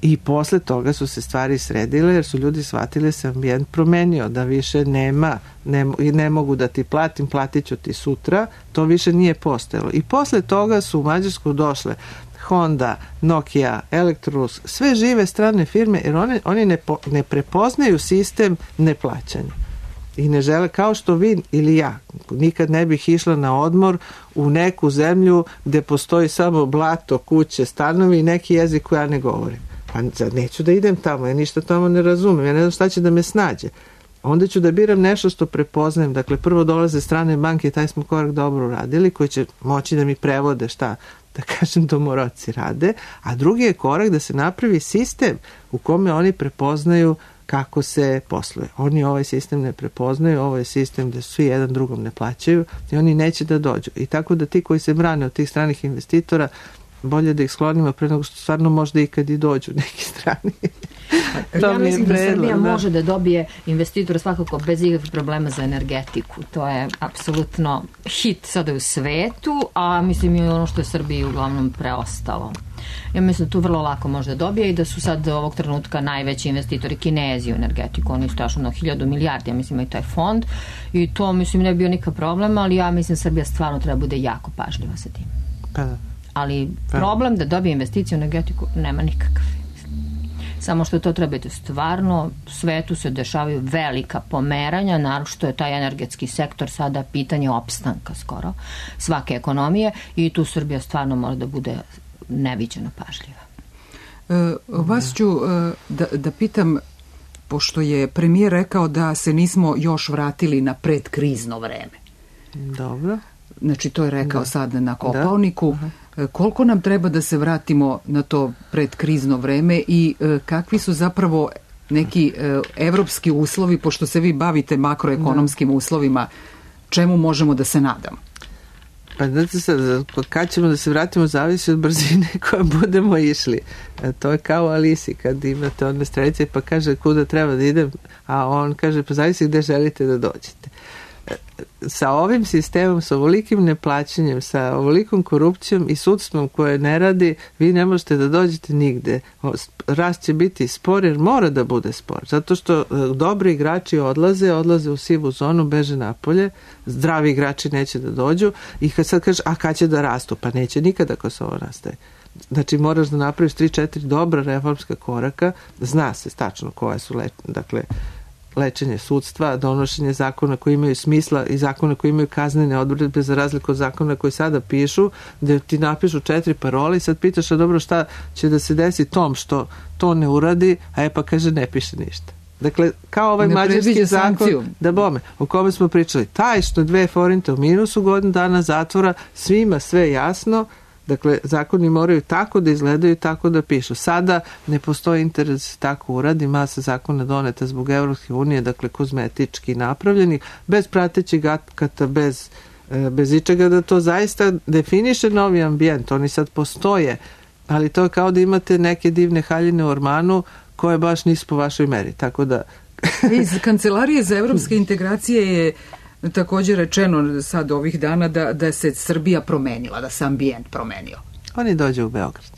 i posle toga su se stvari sredile jer su ljudi shvatili se ambijent promenio, da više nema, ne, ne mogu da ti platim, platit ću ti sutra, to više nije postojalo. I posle toga su u Mađarsku došle Honda, Nokia, Electrolux, sve žive strane firme, jer one, oni ne, po, ne prepoznaju sistem neplaćanja. I ne žele, kao što vi ili ja, nikad ne bih išla na odmor u neku zemlju gde postoji samo blato, kuće, stanovi i neki jezik koji ja ne govorim. Pa neću da idem tamo, ja ništa tamo ne razumem, ja ne znam šta će da me snađe. Onda ću da biram nešto što prepoznajem. Dakle, prvo dolaze strane banke i taj smo korak dobro uradili, koji će moći da mi prevode šta, da kažem, domoroci rade, a drugi je korak da se napravi sistem u kome oni prepoznaju kako se posluje. Oni ovaj sistem ne prepoznaju, ovo je sistem gde svi jedan drugom ne plaćaju i oni neće da dođu. I tako da ti koji se brane od tih stranih investitora, bolje da ih sklonimo pre nego što stvarno možda i kad i dođu neki strani. Ja mislim da Srbija može da dobije investitora svakako bez ikakvih problema za energetiku. To je apsolutno hit sada u svetu, a mislim i ono što je Srbiji uglavnom preostalo. Ja mislim da tu vrlo lako može da dobije i da su sad ovog trenutka najveći investitori Kinezi u energetiku. Oni su tašno na hiljadu milijardi, ja mislim, i taj fond. I to, mislim, ne bi bio nikakav problem, ali ja mislim Srbija stvarno treba bude jako pažljiva sa tim. Pa da. Ali problem da dobije investiciju u energetiku nema nikakav. Samo što to treba biti stvarno, u svetu se dešavaju velika pomeranja, naročito je taj energetski sektor sada pitanje opstanka skoro svake ekonomije i tu Srbija stvarno mora da bude neviđeno pažljiva. E, vas ću e, da, da pitam, pošto je premijer rekao da se nismo još vratili na predkrizno vreme. Dobro. Znači, to je rekao da. Sad na Kopaoniku. Da. Koliko nam treba da se vratimo na to predkrizno vreme i e, kakvi su zapravo neki e, evropski uslovi, pošto se vi bavite makroekonomskim da. uslovima, čemu možemo da se nadamo? Pa znate sad, kad ćemo da se vratimo zavisi od brzine koja budemo išli. E, to je kao Alisi, kad imate one strelice pa kaže kuda treba da idem, a on kaže pa zavisi gde želite da dođete. Sa ovim sistemom, sa ovolikim neplaćanjem, sa ovolikom korupcijom i sudstvom koje ne radi, vi ne možete da dođete nigde. Rast će biti spor jer mora da bude spor. Zato što dobri igrači odlaze, odlaze u sivu zonu, beže napolje, zdravi igrači neće da dođu i kad sad kažeš, a kad će da rastu? Pa neće nikada ako se ovo rastaje. Znači moraš da napraviš tri četiri dobra reformska koraka, zna se tačno koje su, le, dakle, lečenje sudstva, donošenje zakona koji imaju smisla i zakona koji imaju kaznene odredbe za razliku od zakona koji sada pišu, gde ti napišu četiri parole i sad pitaš, a dobro, šta će da se desi tom što to ne uradi, a je pa kaže ne piše ništa. Dakle, kao ovaj ne mađarski zakon, da bome, o kome smo pričali, taj što dve forinte u minusu godinu dana zatvora, svima sve jasno. Dakle, zakoni moraju tako da izgledaju, tako da pišu. Sada ne postoji interes da se tako uradi, masa zakona doneta zbog Evropske unije, dakle kozmetički napravljenih, bez pratećeg akata, bez, bez ičega da to zaista definiše novi ambijent. Oni sad postoje, ali to je kao da imate neke divne haljine u ormanu koje baš nisu po vašoj meri. Tako da... Iz Kancelarije za evropske integracije je također rečeno sad ovih dana da, da se Srbija promenila, da se ambijent promenio. Oni dođu u Beograd.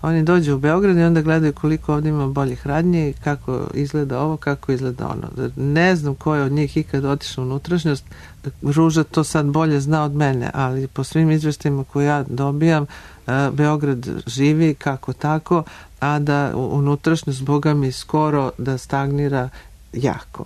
Oni dođu u Beograd i onda gledaju koliko ovdje ima boljih radnje, kako izgleda ovo, kako izgleda ono. Ne znam ko je od njih ikad otišao u unutrašnjost. Ruža to sad bolje zna od mene, ali po svim izveštajima koje ja dobijam, Beograd živi kako tako, a da unutrašnjost, boga mi, skoro da stagnira jako.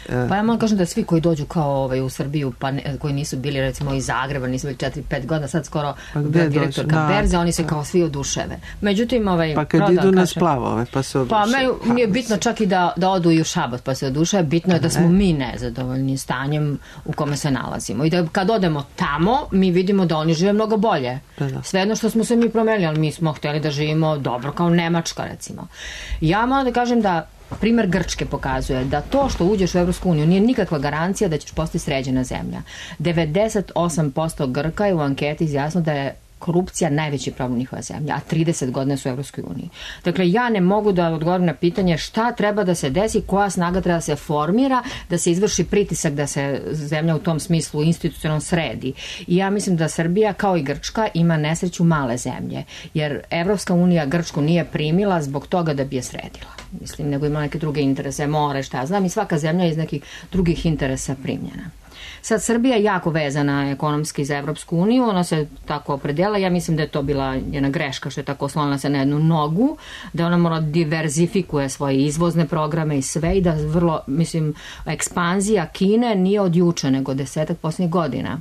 Pa ja moram kažem da svi koji dođu kao ovaj, u Srbiju, pa ne, koji nisu bili recimo iz Zagreba, nisu bili četiri pet godina, sad skoro pa direktorka berze, oni se kao svi oduševe. Međutim, ovaj, pa kad idu na splavove, pa se oduševe. Pa me, mi je bitno čak i da, da odu i u Šabac, pa se oduševe. Bitno je da smo mi nezadovoljni stanjem u kome se nalazimo. I da kad odemo tamo, mi vidimo da oni žive mnogo bolje. Sve jedno što smo se mi promenili, ali mi smo htjeli da živimo dobro kao Nemačka, recimo. Ja moram da kažem da primer Grčke pokazuje da to što uđeš u Evropsku uniju nije nikakva garancija da ćeš postati sređena zemlja. devedeset osam posto Grka je u anketi izjasnilo da je korupcija najveći problem njihova zemlja, a trideset godina su u Evropskoj uniji. Dakle, ja ne mogu da odgovorim na pitanje šta treba da se desi, koja snaga treba da se formira, da se izvrši pritisak da se zemlja u tom smislu institucionalno sredi. I ja mislim da Srbija, kao i Grčka, ima nesreću male zemlje, jer Evropska unija Grčku nije primila zbog toga da bi je sredila. Mislim, nego ima neke druge interese, more, šta ja znam, i svaka zemlja je iz nekih drugih interesa primljena. Sad, Srbija je jako vezana ekonomski za Evropsku uniju, ona se tako opredela, ja mislim da je to bila jedna greška što je tako oslonila se na jednu nogu, da ona mora diverzifikuje svoje izvozne programe i sve i da vrlo, mislim, ekspanzija Kine nije od juče, nego desetak posljednjih godina.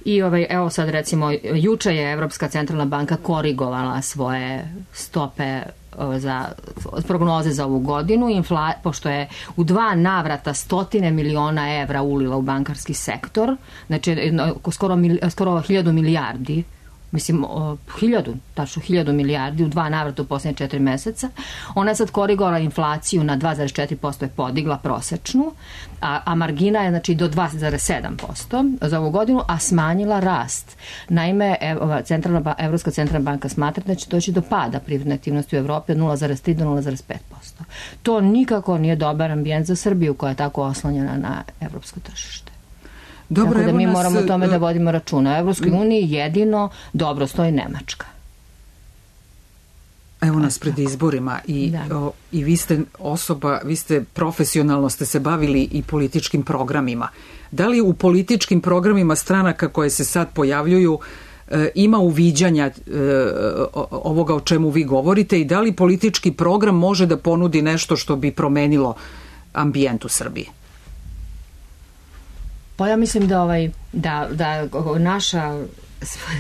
I ovaj, evo sad recimo, juče je Evropska centralna banka korigovala svoje stope za prognoze za ovu godinu, infla, pošto je u dva navrata stotine miliona evra ulila u bankarski sektor, znači skoro, skoro hiljadu milijardi, mislim, o, hiljadu, tačno hiljadu milijardi u dva navrata u posljednje četiri meseca. Ona je sad korigovala inflaciju na dva zarez četiri posto je podigla prosečnu, a, a margina je znači do dva zarez sedam posto za ovu godinu, a smanjila rast. Naime, ev, centralna, Evropska centralna banka smatra da će doći do pada privredne aktivnosti u Evropi od nula zarez tri do nula zarez pet posto. To nikako nije dobar ambijent za Srbiju koja je tako oslonjena na evropsko tržište. Dobro, tako da mi nas, moramo o tome da vodimo računa. U Evropskoj uniji jedino dobro stoji Nemačka. Evo nas pred izborima i, o, i vi ste osoba, vi ste profesionalno ste se bavili i političkim programima. Da li u političkim programima stranaka koje se sad pojavljuju e, ima uviđanja e, ovoga o čemu vi govorite i da li politički program može da ponudi nešto što bi promenilo ambijent u Srbiji? Pa ja mislim da, ovaj, da, da naša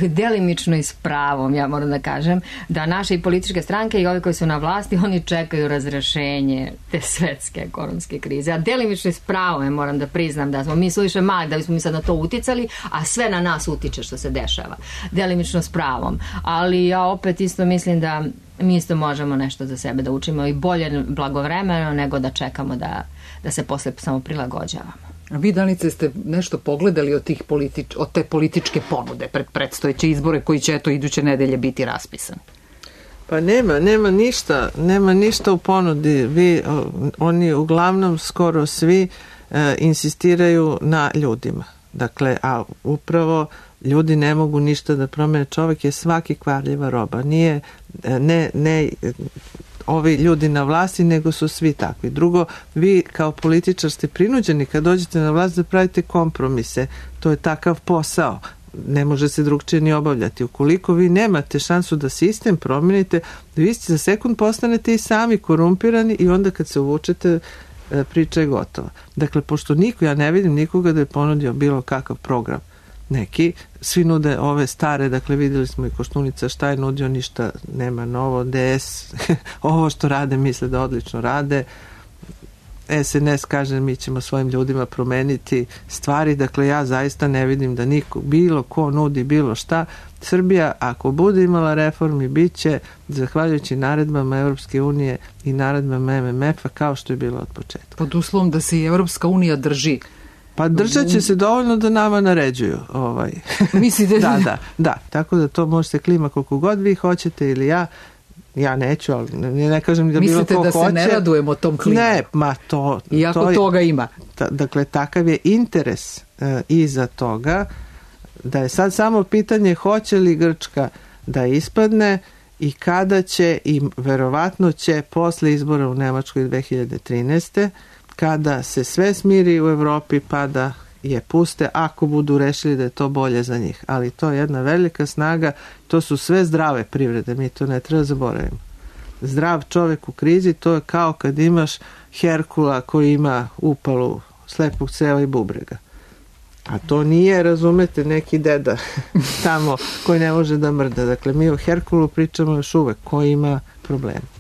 delimično i s pravom, ja moram da kažem, da naše i političke stranke i ovi koji su na vlasti, oni čekaju razrešenje te svetske ekonomske krize. A delimično i s pravom, ja moram da priznam da smo mi suviše mali, da bismo mi sad na to uticali, a sve na nas utiče što se dešava. Delimično s pravom. Ali ja opet isto mislim da mi isto možemo nešto za sebe da učimo i bolje blagovremeno nego da čekamo da, da se posle samo prilagođavamo. A vi, Danice, ste nešto pogledali od, tih politič, od te političke ponude pred predstojeće izbore koji će eto iduće nedelje biti raspisan? Pa nema, nema ništa, nema ništa u ponudi. Vi, oni uglavnom skoro svi e, insistiraju na ljudima. Dakle, a upravo ljudi ne mogu ništa da promene. Čovjek je svaki kvarljiva roba. Nije, ne, ne ovi ljudi na vlasti, nego su svi takvi. Drugo, vi kao političar ste prinuđeni kad dođete na vlast da pravite kompromise. To je takav posao. Ne može se drugčije ni obavljati. Ukoliko vi nemate šansu da sistem promenite, vi ste za sekund postanete i sami korumpirani i onda kad se uvučete, priča je gotova. Dakle, pošto niko, ja ne vidim nikoga da je ponudio bilo kakav program. Neki, svi nude ove stare, dakle vidjeli smo i Koštunica šta je nudio, ništa nema novo, D S ovo što rade misle da odlično rade, S N S kaže mi ćemo svojim ljudima promeniti stvari, dakle ja zaista ne vidim da niko, bilo ko nudi bilo šta. Srbija ako bude imala reformi bit će zahvaljujući naredbama Evropske unije i naredbama M M F-a kao što je bilo od početka. Pod uslovom da se i Evropska unija drži. Pa držat će se dovoljno da nama naređuju. Ovaj. Mislite? da, da, da. Tako da to možete klima koliko god vi hoćete ili ja. Ja neću, ali ne, ne kažem da mislite bilo ko hoće. Mislite da se ne radujemo tom klimu? Ne, ma to... Iako to je, toga ima. Ta, dakle, takav je interes e, iza toga da je sad samo pitanje hoće li Grčka da ispadne i kada će i verovatno će posle izbora u Nemačkoj dve hiljade trinaeste kada se sve smiri u Evropi pa da je puste ako budu rešili da je to bolje za njih. Ali to je jedna velika snaga, to su sve zdrave privrede, mi to ne treba zaboravimo. Zdrav čovjek u krizi, to je kao kad imaš Herkula koji ima upalu slepog creva i bubrega. A to nije, razumete, neki deda tamo koji ne može da mrda. Dakle, mi o Herkulu pričamo još uvek, koji ima problema.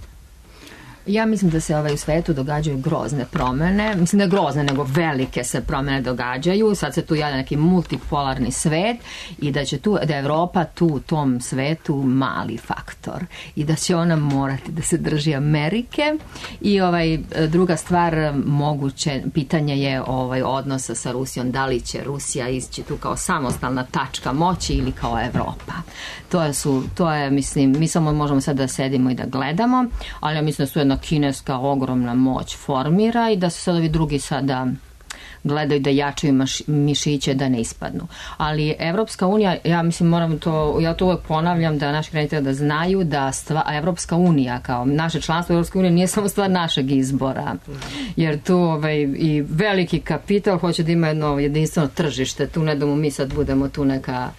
Ja mislim da se ovaj u svetu događaju grozne promene, mislim da je grozne, nego velike se promene događaju, sad se tu javlja neki multipolarni svet i da će tu, da je Evropa tu u tom svetu mali faktor i da će ona morati da se drži Amerike i ovaj, druga stvar, moguće pitanje je ovaj odnosa sa Rusijom, da li će Rusija ići tu kao samostalna tačka moći ili kao Evropa. To je, su, to je mislim, mi samo možemo sad da sedimo i da gledamo, ali ja mislim da su jedna kineska ogromna moć formira i da se sad ovi drugi sada gledaju da jačaju maš, mišiće da ne ispadnu. Ali Evropska unija, ja mislim moram to, ja to uvek ponavljam da naši građani treba da znaju da stva, Evropska unija kao naše članstvo Evropske unije nije samo stvar našeg izbora. Jer tu ovaj, i veliki kapital hoće da ima jedno jedinstveno tržište, tu ne da mu mi sad budemo tu neka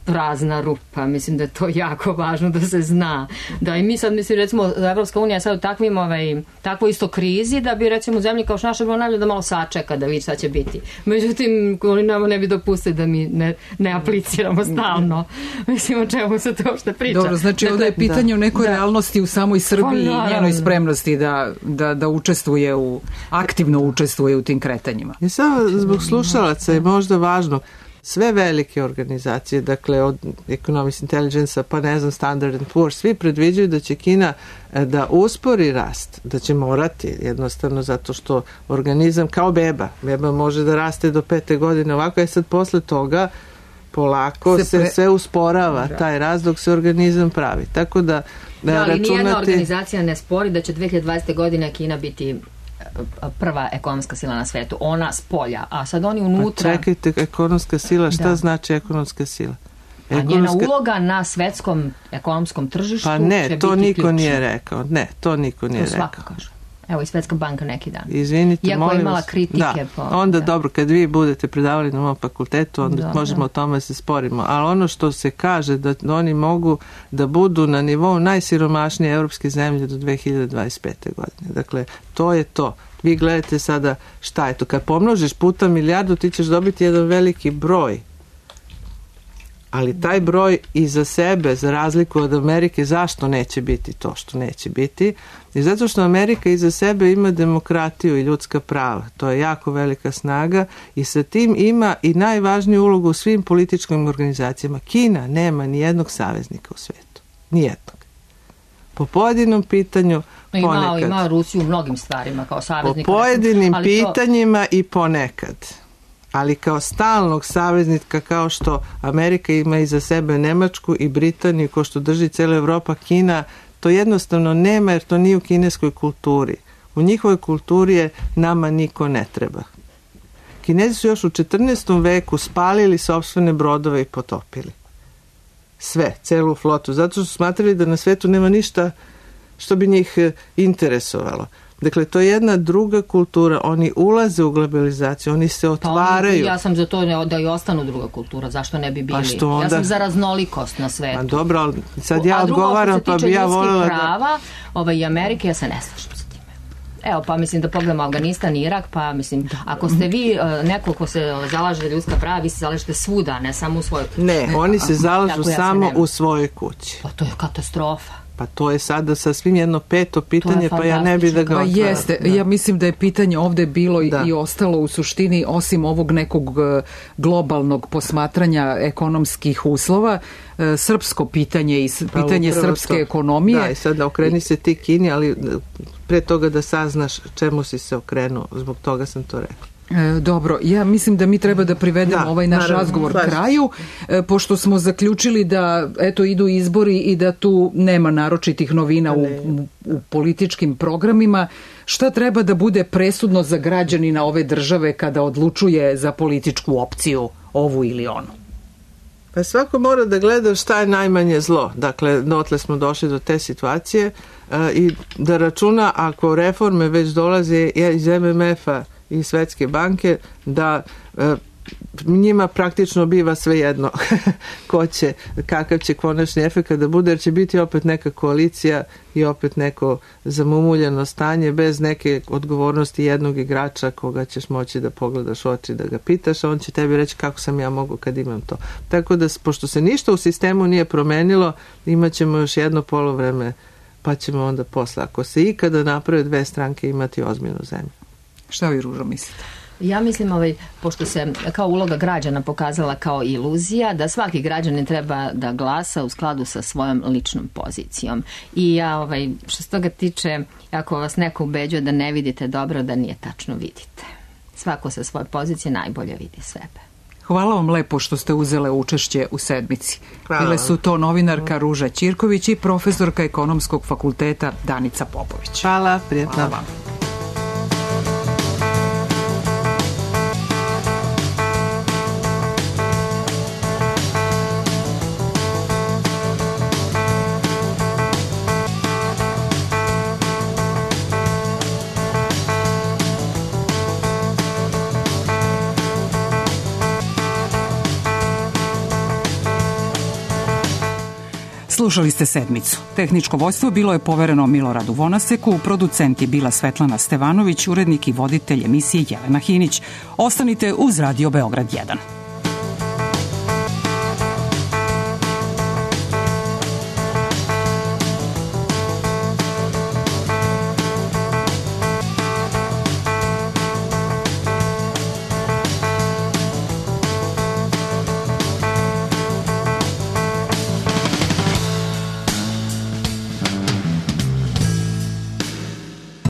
prazna rupa, mislim da je to jako važno da se zna. Da i mi sad, mislim, recimo, Evropska unija je sad u takvim, ovaj, takvoj isto krizi, da bi, recimo, u zemlji kao što naša bilo najbolje da malo sačeka, da vidi šta će biti. Međutim, oni nam ne bi dopustili da mi ne, ne apliciramo stalno. Mislim, o čemu se to uopšte priča. Dobro, znači ovdje je pitanje o nekoj realnosti u samoj Srbiji i njenoj spremnosti da, da, da učestvuje u, aktivno učestvuje u tim kretanjima. I samo zbog slušalaca je možda važno, sve velike organizacije, dakle od Economist Intelligence pa ne znam Standard and Poor's, svi predviđaju da će Kina da uspori rast, da će morati jednostavno zato što organizam kao beba, beba može da raste do pete godine, ovako je sad posle toga polako se, pre... se sve usporava da. Taj rast dok se organizam pravi. Tako da, da, da ali računati... nijedna organizacija ne spori da će dve hiljade dvadesete. godine Kina biti prva ekonomska sila na svetu, ona s polja, a sad oni unutra... Pa čekajte, ekonomska sila, šta da. Znači ekonomska sila? Ekonomska... A njena uloga na svetskom ekonomskom tržištu pa ne, će to biti niko ključna. Nije rekao, ne, to niko nije to rekao. Svaka kaže. Evo i Svetska banka neki dan. Izvinite, iako molim je imala vas. kritike da. po... Onda da. Dobro, kad vi budete predavali na mom fakultetu, onda da, možemo da. O tome se sporimo. Ali ono što se kaže da oni mogu da budu na nivou najsiromašnije evropske zemlje do dve hiljade dvadeset pete. godine. Dakle, to je to. Vi gledate sada šta je to. Kad pomnožiš puta milijardu, ti ćeš dobiti jedan veliki broj. Ali taj broj iza sebe, za razliku od Amerike, zašto neće biti to što neće biti? I zato što Amerika iza sebe ima demokratiju i ljudska prava. To je jako velika snaga i sa tim ima i najvažniju ulogu u svim političkim organizacijama. Kina nema ni jednog saveznika u svetu. Nijednog. Po pojedinom pitanju ponekad. Ima, ima Rusiju u mnogim stvarima kao saveznika. Po pojedinim ali pitanjima to... i ponekad. Ali kao stalnog saveznika, kao što Amerika ima iza sebe Nemačku i Britaniju, kao što drži cijela Evropa, Kina, to jednostavno nema jer to nije u kineskoj kulturi. U njihovoj kulturi je nama niko ne treba. Kinezi su još u četrnaestom veku spalili sopstvene brodove i potopili. Sve, celu flotu, zato što su smatrali da na svetu nema ništa što bi njih interesovalo. Dakle, to je jedna druga kultura. Oni ulaze u globalizaciju, oni se otvaraju. Pa, ja sam za to da i ostanu druga kultura. Zašto ne bi bili? Pa što onda... Ja sam za raznolikost na svetu. Pa dobro, ali sad ja odgovaram, pa bi ja voljela da... prava, ovaj, i Amerike, ja se ne slažem sa time. Evo, pa mislim da pogledamo Afganistan i Irak, pa mislim, ako ste vi neko ko se zalaže za ljudska prava, vi se zalažete svuda, ne samo u svojoj kući. Ne, oni se zalažu ja samo se u svojoj kući. Pa to je katastrofa. Pa to je sada sasvim jedno peto pitanje, pa ja ne bi da ga otvaram. Pa jeste, da. Ja mislim da je pitanje ovdje bilo da. I ostalo u suštini, osim ovog nekog globalnog posmatranja ekonomskih uslova, srpsko pitanje i pitanje pa srpske to. Ekonomije. Da, i sada okreni se ti Kini, ali pre toga da saznaš čemu si se okrenuo, zbog toga sam to rekla. E, dobro, ja mislim da mi treba da privedemo da, ovaj naš naravno, razgovor slažem. Kraju, e, pošto smo zaključili da eto idu izbori i da tu nema naročitih novina u, u, u političkim programima. Šta treba da bude presudno za građanina ove države kada odlučuje za političku opciju ovu ili onu? Pa svako mora da gleda šta je najmanje zlo. Dakle, dotle smo došli do te situacije e, i da računa ako reforme već dolaze iz M M F-a i Svetske banke, da e, njima praktično biva svejedno ko će, kakav će konačni efekt da bude, jer će biti opet neka koalicija i opet neko zamumuljeno stanje bez neke odgovornosti jednog igrača koga ćeš moći da pogledaš u oči, da ga pitaš, a on će tebi reći kako sam ja mogu kad imam to. Tako da, pošto se ništa u sistemu nije promenilo, imat ćemo još jedno polovreme, pa ćemo onda posle, ako se ikada naprave dve stranke, imati ozbiljnu zemlju. Šta vi, Ružo, mislite? Ja mislim, ovaj, pošto se kao uloga građana pokazala kao iluzija, da svaki građanin treba da glasa u skladu sa svojom ličnom pozicijom. I ja, ovaj, što se toga tiče, ako vas neko ubeđuje da ne vidite dobro, da nije tačno vidite. Svako sa svoje pozicije najbolje vidi sebe. Hvala vam lepo što ste uzele učešće u sedmici. Hvala. Bile su to novinarka Ruža Ćirković i profesorka Ekonomskog fakulteta Danica Popović. Hvala, prijetno. Hvala vam. Slušali ste sedmicu. Tehničko vođstvo bilo je povereno Miloradu Vonaseku, producent je bila Svetlana Stevanović, urednik i voditelj emisije Jelena Hinić. Ostanite uz Radio Beograd jedan.